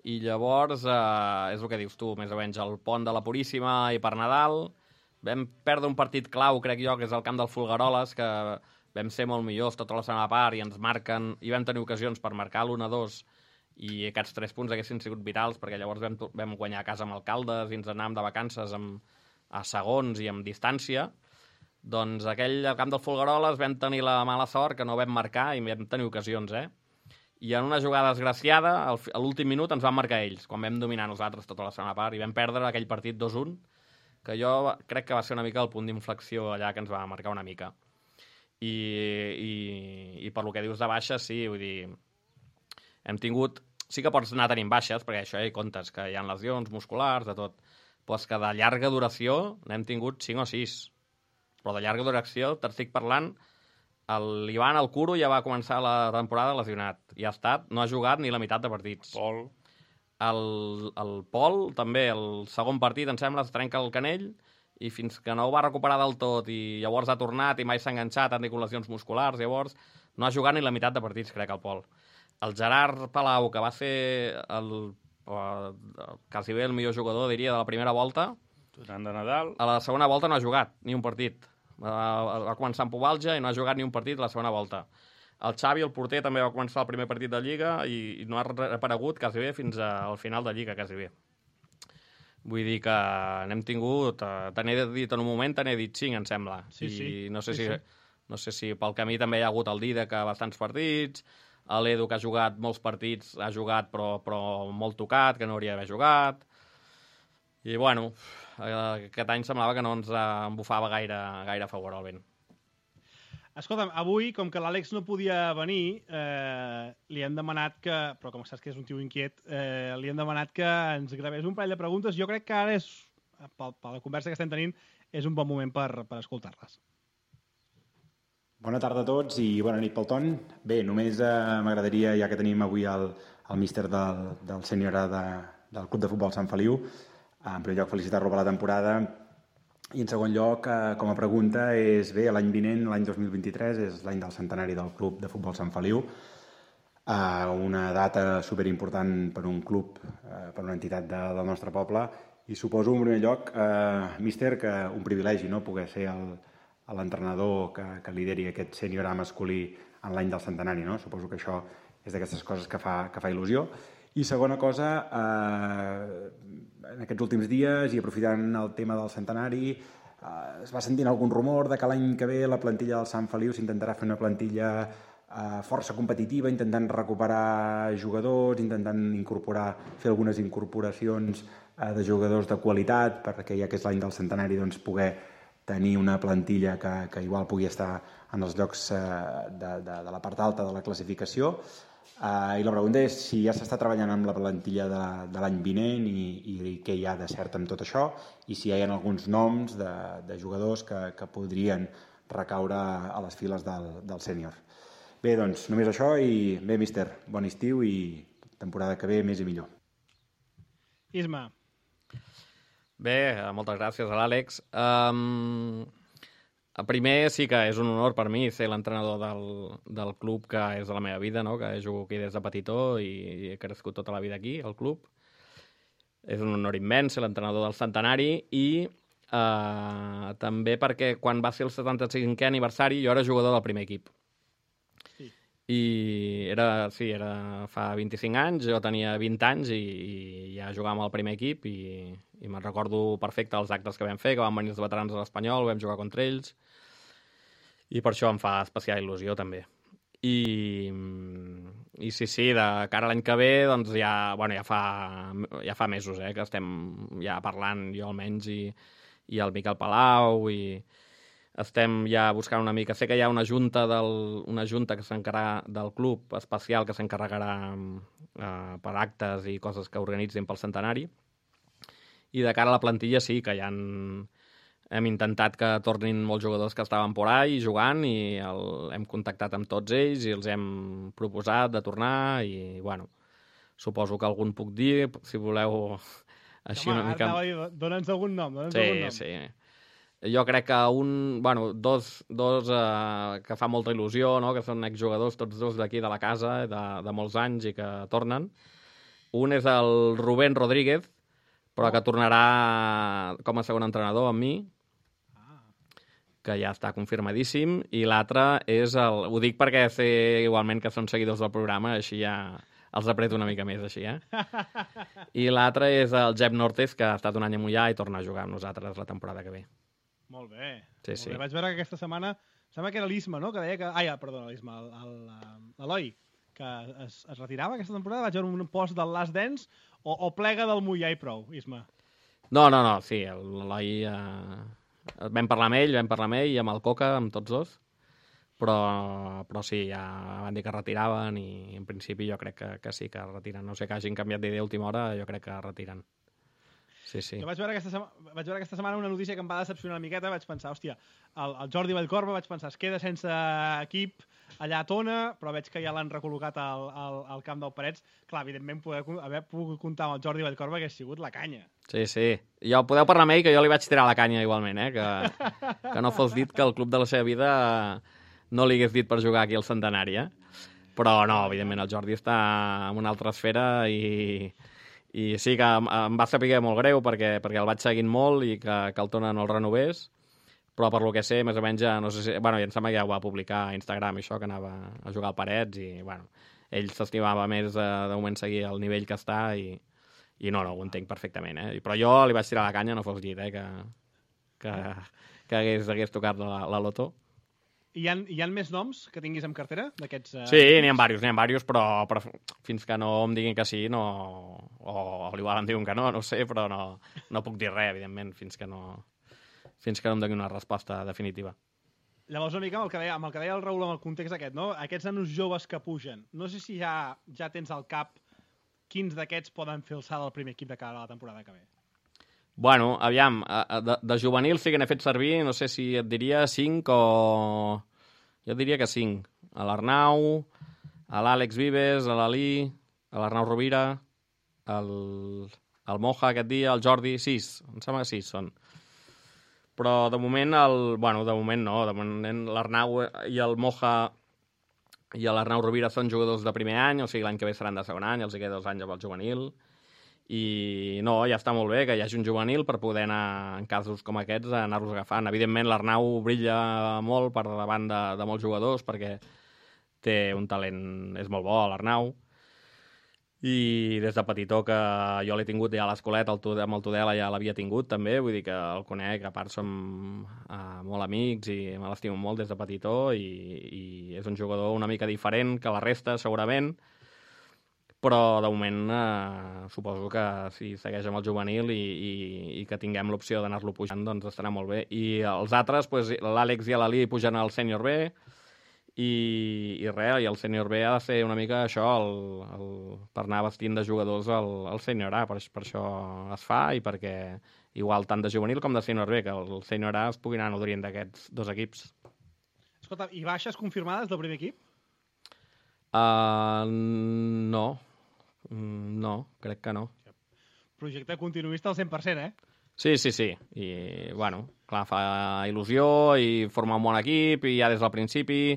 I llavors, és el que dius tu, més o menys, el pont de la Puríssima i per Nadal. Vam perdre un partit clau, crec jo, que és el camp del Folgueroles, que vam ser molt millors tota la segona part i ens marquen, i vam tenir ocasions per marcar l'1-2, i aquests 3 punts haguessin sigut vitals, perquè llavors vam guanyar a casa amb Alcaldes i ens anàvem de vacances a segons i amb distància. Doncs al camp del Folgueroles vam tenir la mala sort que no vam marcar i vam tenir ocasions, I en una jugada desgraciada, a l'últim minut ens van marcar ells, quan vam dominar nosaltres tota la segona part, i vam perdre aquell partit 2-1, que jo crec que va ser una mica el punt d'inflexió allà que ens va marcar una mica. I per lo que dius de baixes, sí, vull dir, hem tingut... Sí que pots anar tenint baixes, perquè això hi comptes, que hi ha lesions musculars, de tot. Però és que de llarga duració n'hem tingut 5 o 6. Però de llarga duració, t'estic parlant, l'Ivan Alcuro ja va començar la temporada lesionat. I ha estat, no ha jugat ni la meitat de partits. El Pol, també, el segon partit, em sembla, es trenca el canell, i fins que no ho va recuperar del tot, i llavors ha tornat i mai s'ha enganxat, han tingut lesions musculars, llavors no ha jugat ni la meitat de partits, crec, el Pol. El Gerard Palau, que va ser quasi bé el millor jugador, diria, de la primera volta, tornant de Nadal, a la segona volta no ha jugat ni un partit. Va començar amb pubalgia i no ha jugat ni un partit a la segona volta. El Xavi, el porter, també va començar el primer partit de Lliga i no ha aparegut quasi bé fins al final de Lliga, quasi bé. Vull dir que n'hem tingut... Te n'he dit en un moment, te n'he dit 5, em sembla. Sí. I no sé si pel camí també hi ha hagut el Didac a bastants partits, l'Edu, que ha jugat molts partits, ha jugat però molt tocat, que no hauria d'haver jugat. I, bueno, aquest any semblava que no ens embufava gaire a favor el vent. Escolta'm, avui, com que l'Àlex no podia venir, li hem demanat que, però com saps que és un tio inquiet, li hem demanat que ens gravés un parell de preguntes. Jo crec que ara, per la conversa que estem tenint, és un bon moment per escoltar-les. Bona tarda a tots i bona nit pel Ton. Bé, només m'agradaria, ja que tenim avui el míster del sènior del Club de Futbol Sant Feliu, en primer lloc felicitar-lo per la temporada i en segon lloc, com a pregunta, és bé, l'any vinent, l'any 2023, és l'any del centenari del Club de Futbol Sant Feliu. una data superimportant per un club, per una entitat del nostre poble, i suposo, en primer lloc, míster, que un privilegi, no?, poder ser l'entrenador que lideri aquest sènior A masculí en l'any del centenari, no? Suposo que això és d'aquestes coses que fa il·lusió. I segona cosa, en aquests últims dies, i aprofitant el tema del centenari, es va sentint algun rumor de que l'any que ve la plantilla del Sant Feliu s'intentarà fer una plantilla força competitiva, intentant recuperar jugadors, intentant fer algunes incorporacions de jugadors de qualitat, perquè ja que és l'any del centenari, doncs, poder tenir una plantilla que igual pugui estar en els llocs de la part alta de la classificació. I la pregunta és si ja s'està treballant amb la plantilla de l'any vinent i què hi ha de cert amb tot això, i si hi ha alguns noms de jugadors que podrien recaure a les files del sènior. Bé, doncs, només això, i bé, míster, bon estiu i temporada que ve més i millor. Isma. Bé, moltes gràcies a l'Àlex. Primer, sí que és un honor per mi ser l'entrenador del club que és de la meva vida, no? Que jugo aquí des de petitó i he crescut tota la vida aquí, al club. És un honor immens ser l'entrenador del centenari i també perquè quan va ser el 75è aniversari jo era jugador del primer equip. Sí. I era fa 25 anys, jo tenia 20 anys i ja jugàvem al primer equip i me'n recordo perfecte els actes que vam fer, que van venir els veterans de l'Espanyol, vam jugar contra ells, i per això em fa especial il·lusió també. I sí, de cara a l'any que ve, doncs ja fa mesos que estem ja parlant, jo almenys, i el Miquel Palau, i estem ja buscant una mica. Sé que hi ha una junta que s'encarregarà del club especial que s'encarregarà per actes i coses que organitzin pel centenari. I de cara a la plantilla sí que hem intentat que tornin molts jugadors que estaven por ahí jugant i hem contactat amb tots ells i els hem proposat de tornar i, bueno, suposo que algun puc dir, si voleu així una mica... Dóna'ns algun nom. Sí. Jo crec que dos que fa molta il·lusió, no? Que són exjugadors, tots dos d'aquí de la casa, de molts anys i que tornen. Un és el Rubén Rodríguez, però que tornarà com a segon entrenador amb mi, que ja està confirmadíssim, i l'altre és ho dic perquè sé igualment que són seguidors del programa, així ja els apreto una mica més, així, I l'altre és el Jep Nortes, que ha estat un any a Mollà i torna a jugar amb nosaltres la temporada que ve. Molt bé. Sí. Vaig veure que aquesta setmana, sembla que era l'Isma, no?, que deia que... l'Isma, l'Eloi, que es retirava aquesta temporada, vaig veure un post del Last Dance, o plega del Mollà i prou, Isma? No, sí, l'Eloi... Vam parlar amb ell i amb el Coca, amb tots dos, però sí, ja van dir que retiraven i en principi jo crec que sí que retiren. No sé que hagin canviat d'idea a última hora, jo crec que retiren. Sí. Jo vaig veure aquesta setmana una notícia que em va decepcionar una miqueta, vaig pensar, hòstia, el Jordi Vallcorba, vaig pensar, es queda sense equip allà a Tona, però veig que ja l'han recol·locat al camp del Parets. Clar, evidentment, haver pogut comptar amb el Jordi Vallcorba hagués sigut la canya. Sí. Jo podeu parlar amb ell, que jo li vaig tirar la canya igualment, que no fos dit que el club de la seva vida no li hagués dit per jugar aquí al centenari, Però no, evidentment, el Jordi està en una altra esfera i sí que em va saber molt greu perquè el vaig seguint molt i que el Tona no el renovés, però per lo que sé, més o menys, no sé si... Bueno, ja em sembla que ja ho va publicar a Instagram, això, que anava a jugar al Parets i, bueno, ell s'estimava més de moment seguir el nivell que està i no, ho entenc perfectament, Però jo li vaig tirar la canya, no fos dit, que hagués tocat la loto. Hi ha més noms que tinguis en cartera d'aquests... Sí, n'hi ha diversos, però fins que no em diguin que sí, no... O igual em diuen que no sé, però no puc dir res, evidentment, fins que no em doni una resposta definitiva. Llavors, una mica amb el que deia el Raül, amb el context aquest, no? Aquests nanos joves que pugen, no sé si ja tens al cap quins d'aquests poden fer el salt al primer equip de cara a la temporada que ve. Bueno, aviam, de juvenil sí que n'he fet servir, no sé si et diria 5 o... Jo diria que 5. A l'Arnau, a l'Àlex Vives, a l'Alí, a l'Arnau Rovira, el Moja aquest dia, el Jordi, 6. Em sembla que 6 són. Però de moment, de moment no. De moment l'Arnau i el Moja i l'Arnau Rovira són jugadors de primer any, o sigui, l'any que ve seran de segon any, els hi queda 2 anys amb el juvenil, i no, ja està molt bé que hi hagi un juvenil per poder anar, en casos com aquests, anar-los agafant. Evidentment, l'Arnau brilla molt per davant de molts jugadors, perquè té un talent, és molt bo, l'Arnau, i des de petitó que jo l'he tingut ja a l'escoleta, amb el Tudela ja l'havia tingut també, vull dir que el conec, a part som molt amics i me l'estimo molt des de petitó i és un jugador una mica diferent que la resta segurament, però de moment suposo que si segueix amb el juvenil i que tinguem l'opció d'anar-lo pujant, doncs estarà molt bé. I els altres, doncs, l'Àlex i l'Ali pugen al sènior B, i res, i el sènior B ha de ser una mica això, per anar vestint de jugadors al sènior A, per això es fa i perquè igual tant de juvenil com de sènior B, que el sènior A es pugui anar nodrint d'aquests 2 equips. Escolta, i baixes confirmades del primer equip? No, crec que no. Projecte continuista al 100%, Sí. I, bueno, clar, fa il·lusió i forma un bon equip i ja des del principi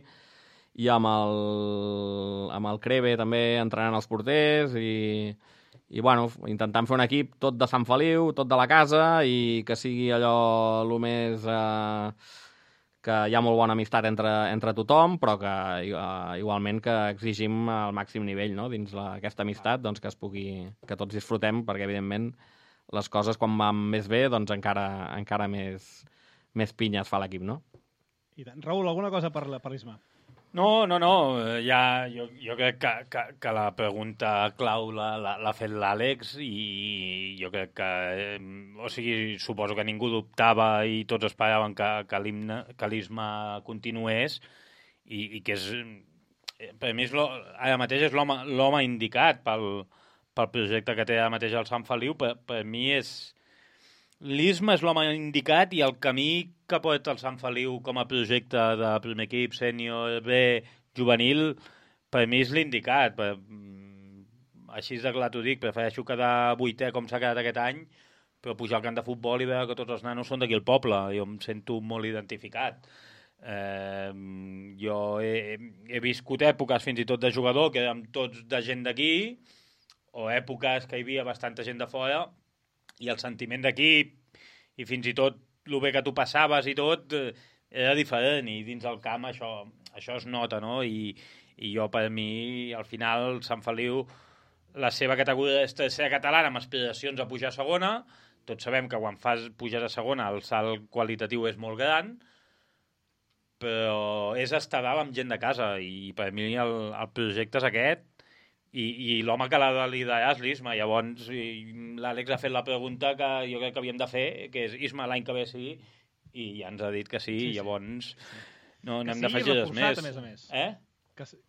i amb el Creve també entrenant els porters i bueno, intentant fer un equip tot de Sant Feliu, tot de la casa i que sigui allò el més... que hi ha molt bona amistat entre tothom, però que igualment que exigim el màxim nivell, no? Dins aquesta amistat, doncs que tots disfrutem, perquè evidentment les coses quan van més bé, doncs encara més pinya es fa l'equip, no? I tant. Raül, alguna cosa per l'Isma? No, ja, jo crec que la pregunta clau l'ha fet l'Àlex i jo crec que, o sigui, suposo que ningú dubtava i tots esperaven que l'Isma continués i que és, per mi ara mateix és l'home indicat pel projecte que té ara mateix el Sant Feliu. Per mi l'Isma és l'home indicat i el camí que porta el Sant Feliu com a projecte de primer equip, sènior, B, juvenil, per mi és l'indicat. Així de clar t'ho dic, prefereixo quedar 8è com s'ha quedat aquest any, però pujar al camp de futbol i veure que tots els nanos són d'aquí al poble. Jo em sento molt identificat. Jo he viscut èpoques fins i tot de jugador que érem tots de gent d'aquí, o èpoques que hi havia bastanta gent de fora, i el sentiment d'equip i fins i tot el bé que tu passaves i tot era diferent, i dins del camp això es nota, no? I jo, per mi, al final, el Sant Feliu, la seva categoria és tercera catalana amb aspiracions a pujar a segona. Tots sabem que quan puges a segona el salt qualitatiu és molt gran, però és estar dalt amb gent de casa, i per mi el projecte és aquest, i l'home que l'ha de liderar és l'Isma. Llavors l'Àlex ha fet la pregunta que jo crec que havíem de fer, que és Isma l'any que ve sí, i ja ens ha dit que sí. Llavors no hem de fer res més. A més.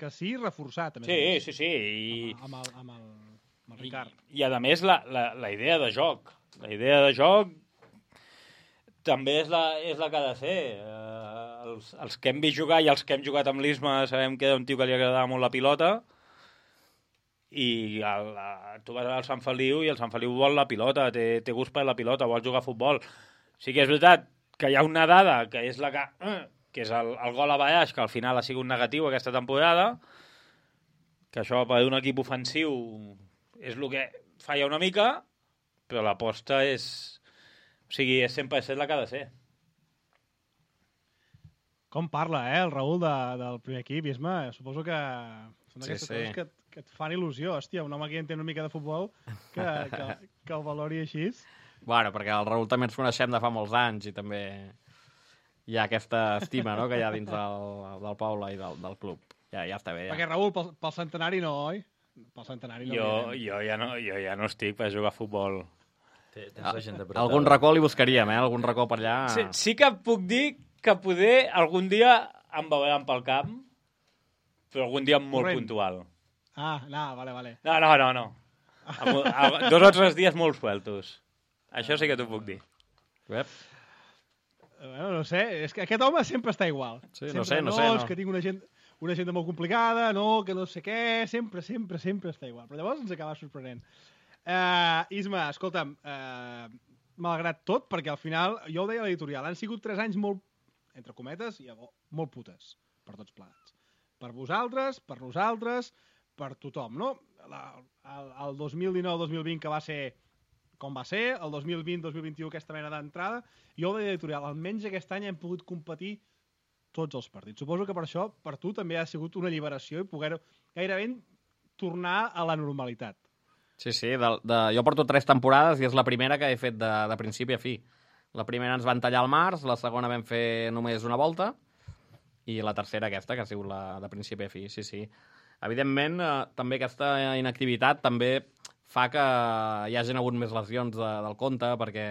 Que sí, reforçat a més. Sí. Amb el Ricard. I a més la idea de joc. La idea de joc també és la que ha de ser. Els que hem vist jugar i els que hem jugat amb l'Isma sabem que era un tio que li agradava molt la pilota, i tu vas al Sant Feliu i el Sant Feliu vol la pilota, té gust per la pilota, vol jugar a futbol. Sí que és veritat que hi ha una dada que és que és el gol a baix, que al final ha sigut negatiu aquesta temporada, que això per un equip ofensiu és el que falla una mica, però l'aposta és 100% la que ha de ser. Com parla, el Raül del primer equip, Isma? Suposo que són d'aquestes coses que et fan il·lusió. Hòstia, un home que entén una mica de futbol que el valori així. Bueno, perquè el Raül també ens coneixem de fa molts anys i també hi ha aquesta estima, no?, que hi ha dins del poble i del club. Ja està bé, ja. Perquè, Raül, pel centenari no, oi? Pel centenari no. Jo ja no estic per jugar a futbol. Algun racó li buscaríem, Algun racó per allà. Sí que puc dir que poder algun dia em veuran pel camp, però algun dia molt puntual. Vale. No. 2 o 3 dies molt sueltos. Això sí que t'ho puc dir. Bueno, no sé, és que aquest home sempre està igual. Sí, no sé. És que tinc una agenda molt complicada, que no sé què, sempre està igual. Però llavors ens acaba sorprenent. Isma, escolta'm, malgrat tot, perquè al final, jo ho deia a l'editorial, han sigut 3 anys molt, entre cometes, i molt putes, per tots plegats. Per vosaltres, per nosaltres, per tothom, no? El 2019-2020 que va ser com va ser, el 2020-2021 aquesta mena d'entrada, jo de editorial, almenys aquest any hem pogut competir tots els partits. Suposo que per això, per tu, també ha sigut una alliberació i poder gairebé tornar a la normalitat. Sí, jo porto 3 temporades i és la primera que he fet de principi a fi. La primera ens van tallar al març, la segona vam fer només una volta i la tercera aquesta, que ha sigut la de principi a fi, sí. Evidentment, també aquesta inactivitat també fa que hi hagin hagut més lesions del compte, perquè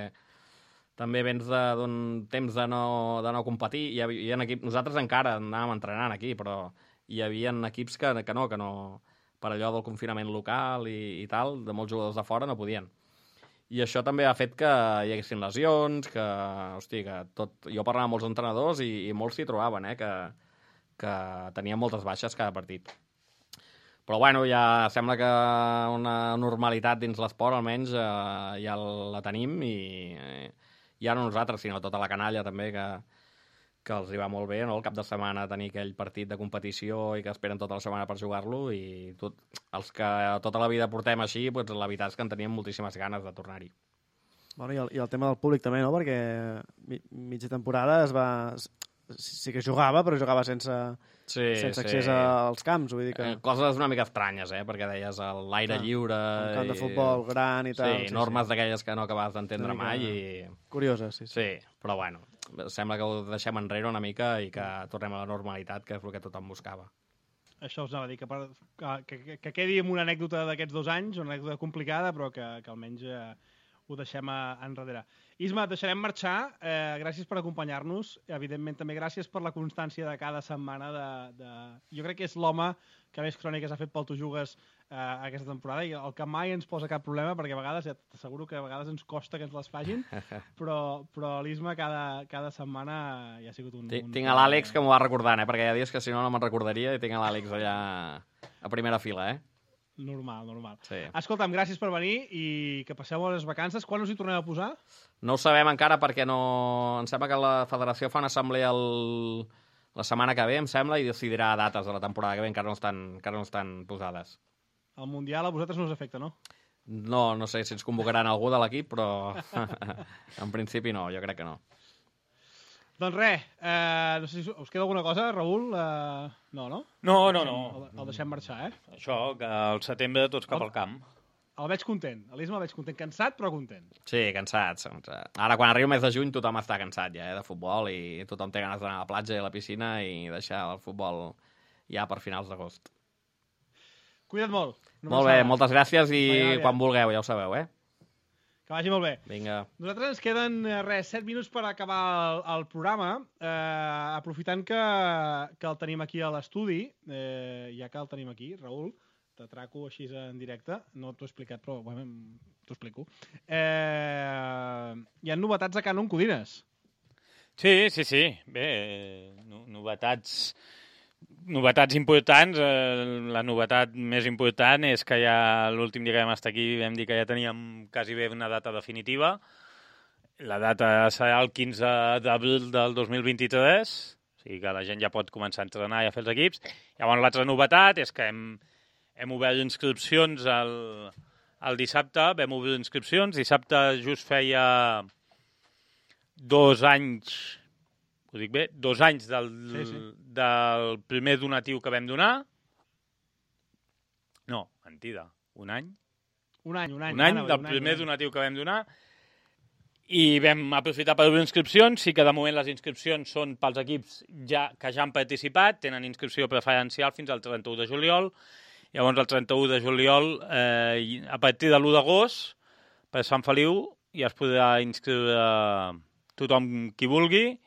també vens d'un temps de no competir. Hi havia equips, nosaltres encara anàvem entrenant aquí, però hi havia equips que no, per allò del confinament local i tal, de molts jugadors de fora no podien. I això també ha fet que hi haguessin lesions, que tot... Jo parlava amb molts entrenadors i molts s'hi trobaven, que tenien moltes baixes cada partit. Però bueno, ja sembla que una normalitat dins l'esport almenys ja la tenim i ja no nosaltres, sinó tota la canalla també, que els hi va molt bé, no? El cap de setmana tenir aquell partit de competició i que esperen tota la setmana per jugar-lo, i els que tota la vida portem així, doncs la veritat és que en teníem moltíssimes ganes de tornar-hi. Bueno, i el tema del públic també, no? Perquè mitja temporada sí que jugava, però jugava sense accés als camps. Vull dir que... Coses una mica estranyes, perquè deies l'aire lliure... Un camp de futbol gran i tal. Sí, normes d'aquelles que no acabes d'entendre mai. Curioses, sí. Sí, però bueno, sembla que ho deixem enrere una mica i que tornem a la normalitat, que és el que tothom buscava. Això us anava a dir, que quedi amb una anècdota d'aquests 2 anys, una anècdota complicada, però que almenys ho deixem enrere. Isma, et deixarem marxar. Gràcies per acompanyar-nos. Evidentment, també gràcies per la constància de cada setmana. Jo crec que és l'home que més cròniques ha fet pel Tu Jugues aquesta temporada, i el que mai ens posa cap problema, perquè a vegades, ja t'asseguro que a vegades ens costa que ens les facin, però l'Isma cada setmana ja ha sigut un... Tinc a l'Àlex que m'ho va recordant, perquè hi ha dies que si no me'n recordaria, i tinc a l'Àlex allà a primera fila, Normal. Sí. Escolta'm, gràcies per venir i que passeu les vacances. Quan us hi torneu a posar? No ho sabem encara perquè no... Em sembla que la federació fa una assemblea la setmana que ve, em sembla, i decidirà dates de la temporada que ve, encara no estan posades. El Mundial a vosaltres no us afecta, no? No sé si ens convocaran algú de l'equip, però en principi no, jo crec que no. Doncs res, no sé si us queda alguna cosa, Raül? No? No. El deixem marxar, Això, que al setembre tots cap al camp. El veig content, l'Isma el veig content, cansat però content. Sí, cansat. Ara, quan arriba el mes de juny, tothom està cansat ja, de futbol, i tothom té ganes d'anar a la platja i a la piscina i deixar el futbol ja per finals d'agost. Cuida't molt. Molt bé, moltes gràcies i quan vulgueu, ja ho sabeu, Que vagi molt bé. Vinga. Nosaltres ens queden, 7 minuts per acabar el programa, aprofitant que el tenim aquí a l'estudi, ja que el tenim aquí, Raül, t'atraco així en directe, no t'ho he explicat, però bueno, t'ho explico. Hi ha novetats a Canon Codines. Sí. Bé, novetats importants. La novetat més important és que ja l'últim dia que vam estar aquí vam dir que ja teníem quasi bé una data definitiva. La data serà el 15 d'abril del 2023, o sigui que la gent ja pot començar a entrenar i a fer els equips. Llavors l'altra novetat és que hem obert inscripcions el dissabte, vam obrir inscripcions. Dissabte just feia 2 anys... Ho dic bé? 2 anys del primer donatiu que vam donar. No, mentida. Un any. Un any del primer donatiu que vam donar. I vam aprofitar per obrir inscripcions. Sí que de moment les inscripcions són pels equips que ja han participat. Tenen inscripció preferencial fins al 31 de juliol. Llavors, el 31 de juliol, a partir de l'1 d'agost, per Sant Feliu, ja es podrà inscriure tothom qui vulgui,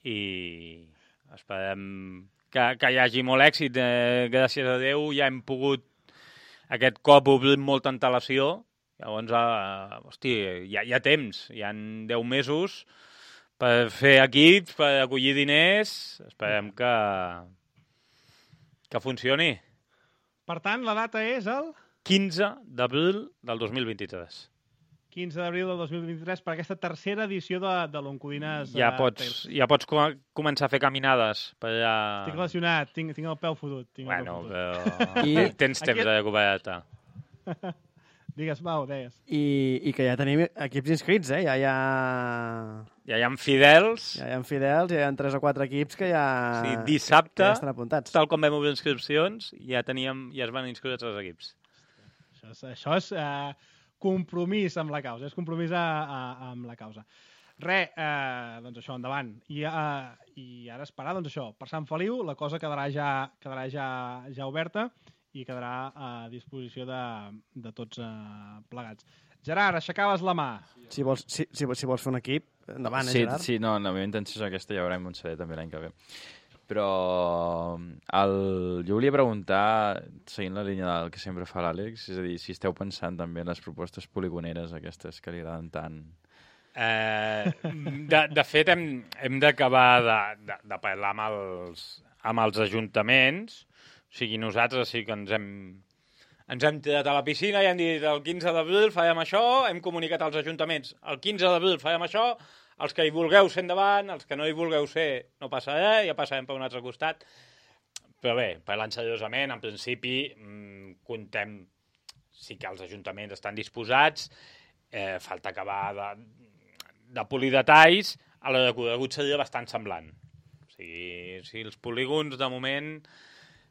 i esperem que hi hagi molt èxit. Gràcies a Déu ja hem pogut aquest cop obrir molta antelació. Llavors, hi ha temps, hi ha 10 mesos per fer equips, per acollir diners. Esperem que funcioni. Per tant, la data és el... 15 d'abril del 2023. 15 d'abril del 2023 per aquesta tercera edició de l'Oncodines. Ja pots començar a fer caminades per allà... Estic lesionat, tinc el peu fotut. Bueno, però tens temps de recuperar-te. Digues, Pau, deies. I que ja tenim equips inscrits, Ja hi ha fidels. Ja hi ha fidels, ja hi ha 3 o 4 equips que ja... Sí, dissabte, ja estan apuntats. Tal com vam obrir inscripcions, ja es van inscriure 3 equips. Això és compromís amb la causa, és compromís amb la causa. Doncs això, endavant. I ara esperar, doncs això, per Sant Feliu la cosa quedarà ja oberta i quedarà a disposició de tots plegats. Gerard, aixecaves la mà. Si vols fer un equip, endavant, Gerard? Sí, no, la meva intenció és aquesta, ja veurem on seré també l'any que ve. Però jo volia preguntar, seguint la línia del que sempre fa l'Àlex, és a dir, si esteu pensant també en les propostes poligoneres aquestes que li agraden tant. De fet, hem d'acabar de parlar amb els ajuntaments. O sigui, nosaltres sí que ens hem tirat a la piscina i hem dit el 15 d'abril farem això, hem comunicat als ajuntaments el 15 d'abril farem això, els que hi vulgueu ser endavant, els que no hi vulgueu ser no passa res, ja passarem per un altre costat. Però bé, parlant seriosament, en principi contem, sí que els ajuntaments estan disposats, falta acabar de polir detalls, a la de Conegut seria bastant semblant. O sigui, si els polígons, de moment,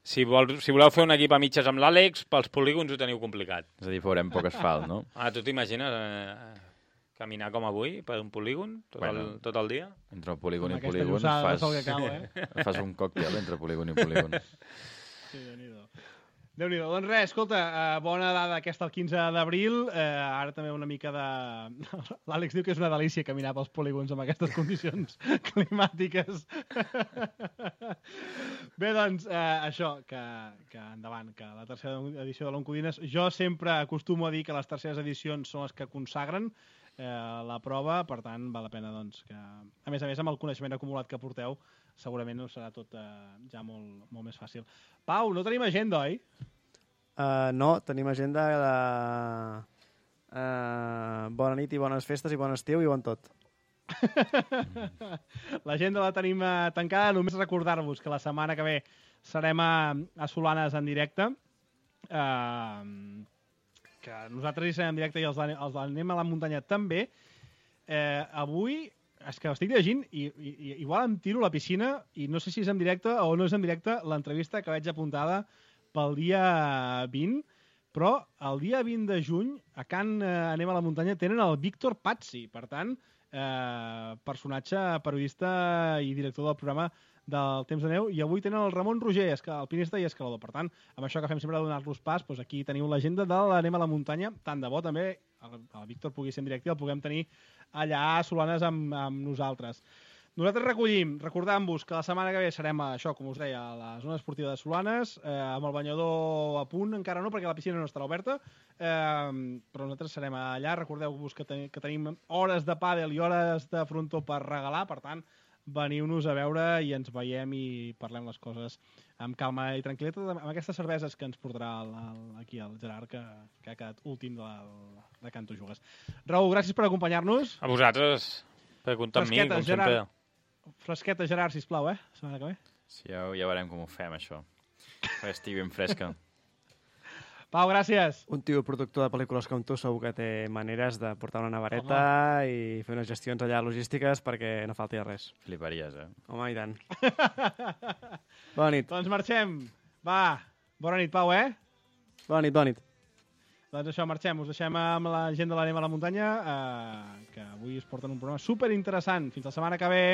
si voleu fer un equip a mitges amb l'Àlex, pels polígons ho teniu complicat. És a dir, veurem poc asfalt, no? Tu t'imagines caminar com avui per un polígon tot el dia? Entre polígon i polígon fas un còctel entre polígon i polígon. Sí, Déu-n'hi-do. Doncs res, escolta, bona dada aquesta el 15 d'abril. Ara també una mica de... L'Àlex diu que és una delícia caminar pels polígons amb aquestes condicions climàtiques. Bé, doncs, això, que endavant, que la tercera edició de l'Oncodines... Jo sempre acostumo a dir que les terceres edicions són les que consagren la prova, per tant, val la pena doncs, que, a més, amb el coneixement acumulat que porteu, segurament us serà tot ja molt més fàcil. Pau, no tenim agenda, oi? No, tenim agenda de bona nit i bones festes i bon estiu i bon tot. L'agenda la tenim tancada, només recordar-vos que la setmana que ve serem a Solanes en directe, que nosaltres hi serem en directe i els anem a la muntanya també. Avui, és que estic llegint i igual em tiro a la piscina i no sé si és en directe o no és en directe l'entrevista que veig apuntada pel dia 20, però el dia 20 de juny a Can Anem a la muntanya tenen el Víctor Pazzi, per tant, personatge, periodista i director del programa del Temps de Neu, i avui tenen el Ramon Roger, alpinista i escalador. Per tant, amb això que fem sempre de donar-los pas, doncs aquí teniu l'agenda de l'Anem a la muntanya. Tant de bo també el Víctor pugui ser en directe i el puguem tenir allà a Solanes amb nosaltres. Nosaltres recollim, recordant-vos que la setmana que ve serem, això, com us deia, a la zona esportiva de Solanes, amb el banyador a punt, encara no, perquè la piscina no estarà oberta, però nosaltres serem allà. Recordeu-vos que tenim hores de pàdel i hores de frontó per regalar, per tant, veniu-nos a veure i ens veiem i parlem les coses amb calma i tranquil·litat, amb aquestes cerveses que ens portarà aquí el Gerard, que ha quedat últim de Canto Jugues. Raül, gràcies per acompanyar-nos. A vosaltres, per comptar amb mi, com sempre. Fresqueta, Gerard, sisplau, setmana que ve. Sí, ja veurem com ho fem, això. Que estigui ben fresca. Pau, gràcies. Un tio productor de pel·lícules com tu segur que té maneres de portar una nevareta i fer unes gestions allà logístiques perquè no falti res. Fliparies, Home, i tant. Bona nit. Doncs marxem. Va, bona nit, Pau, Bona nit, bona nit. Doncs això, marxem. Us deixem amb la gent de l'Anem a la muntanya, que avui es porten un programa superinteressant. Fins la setmana que ve.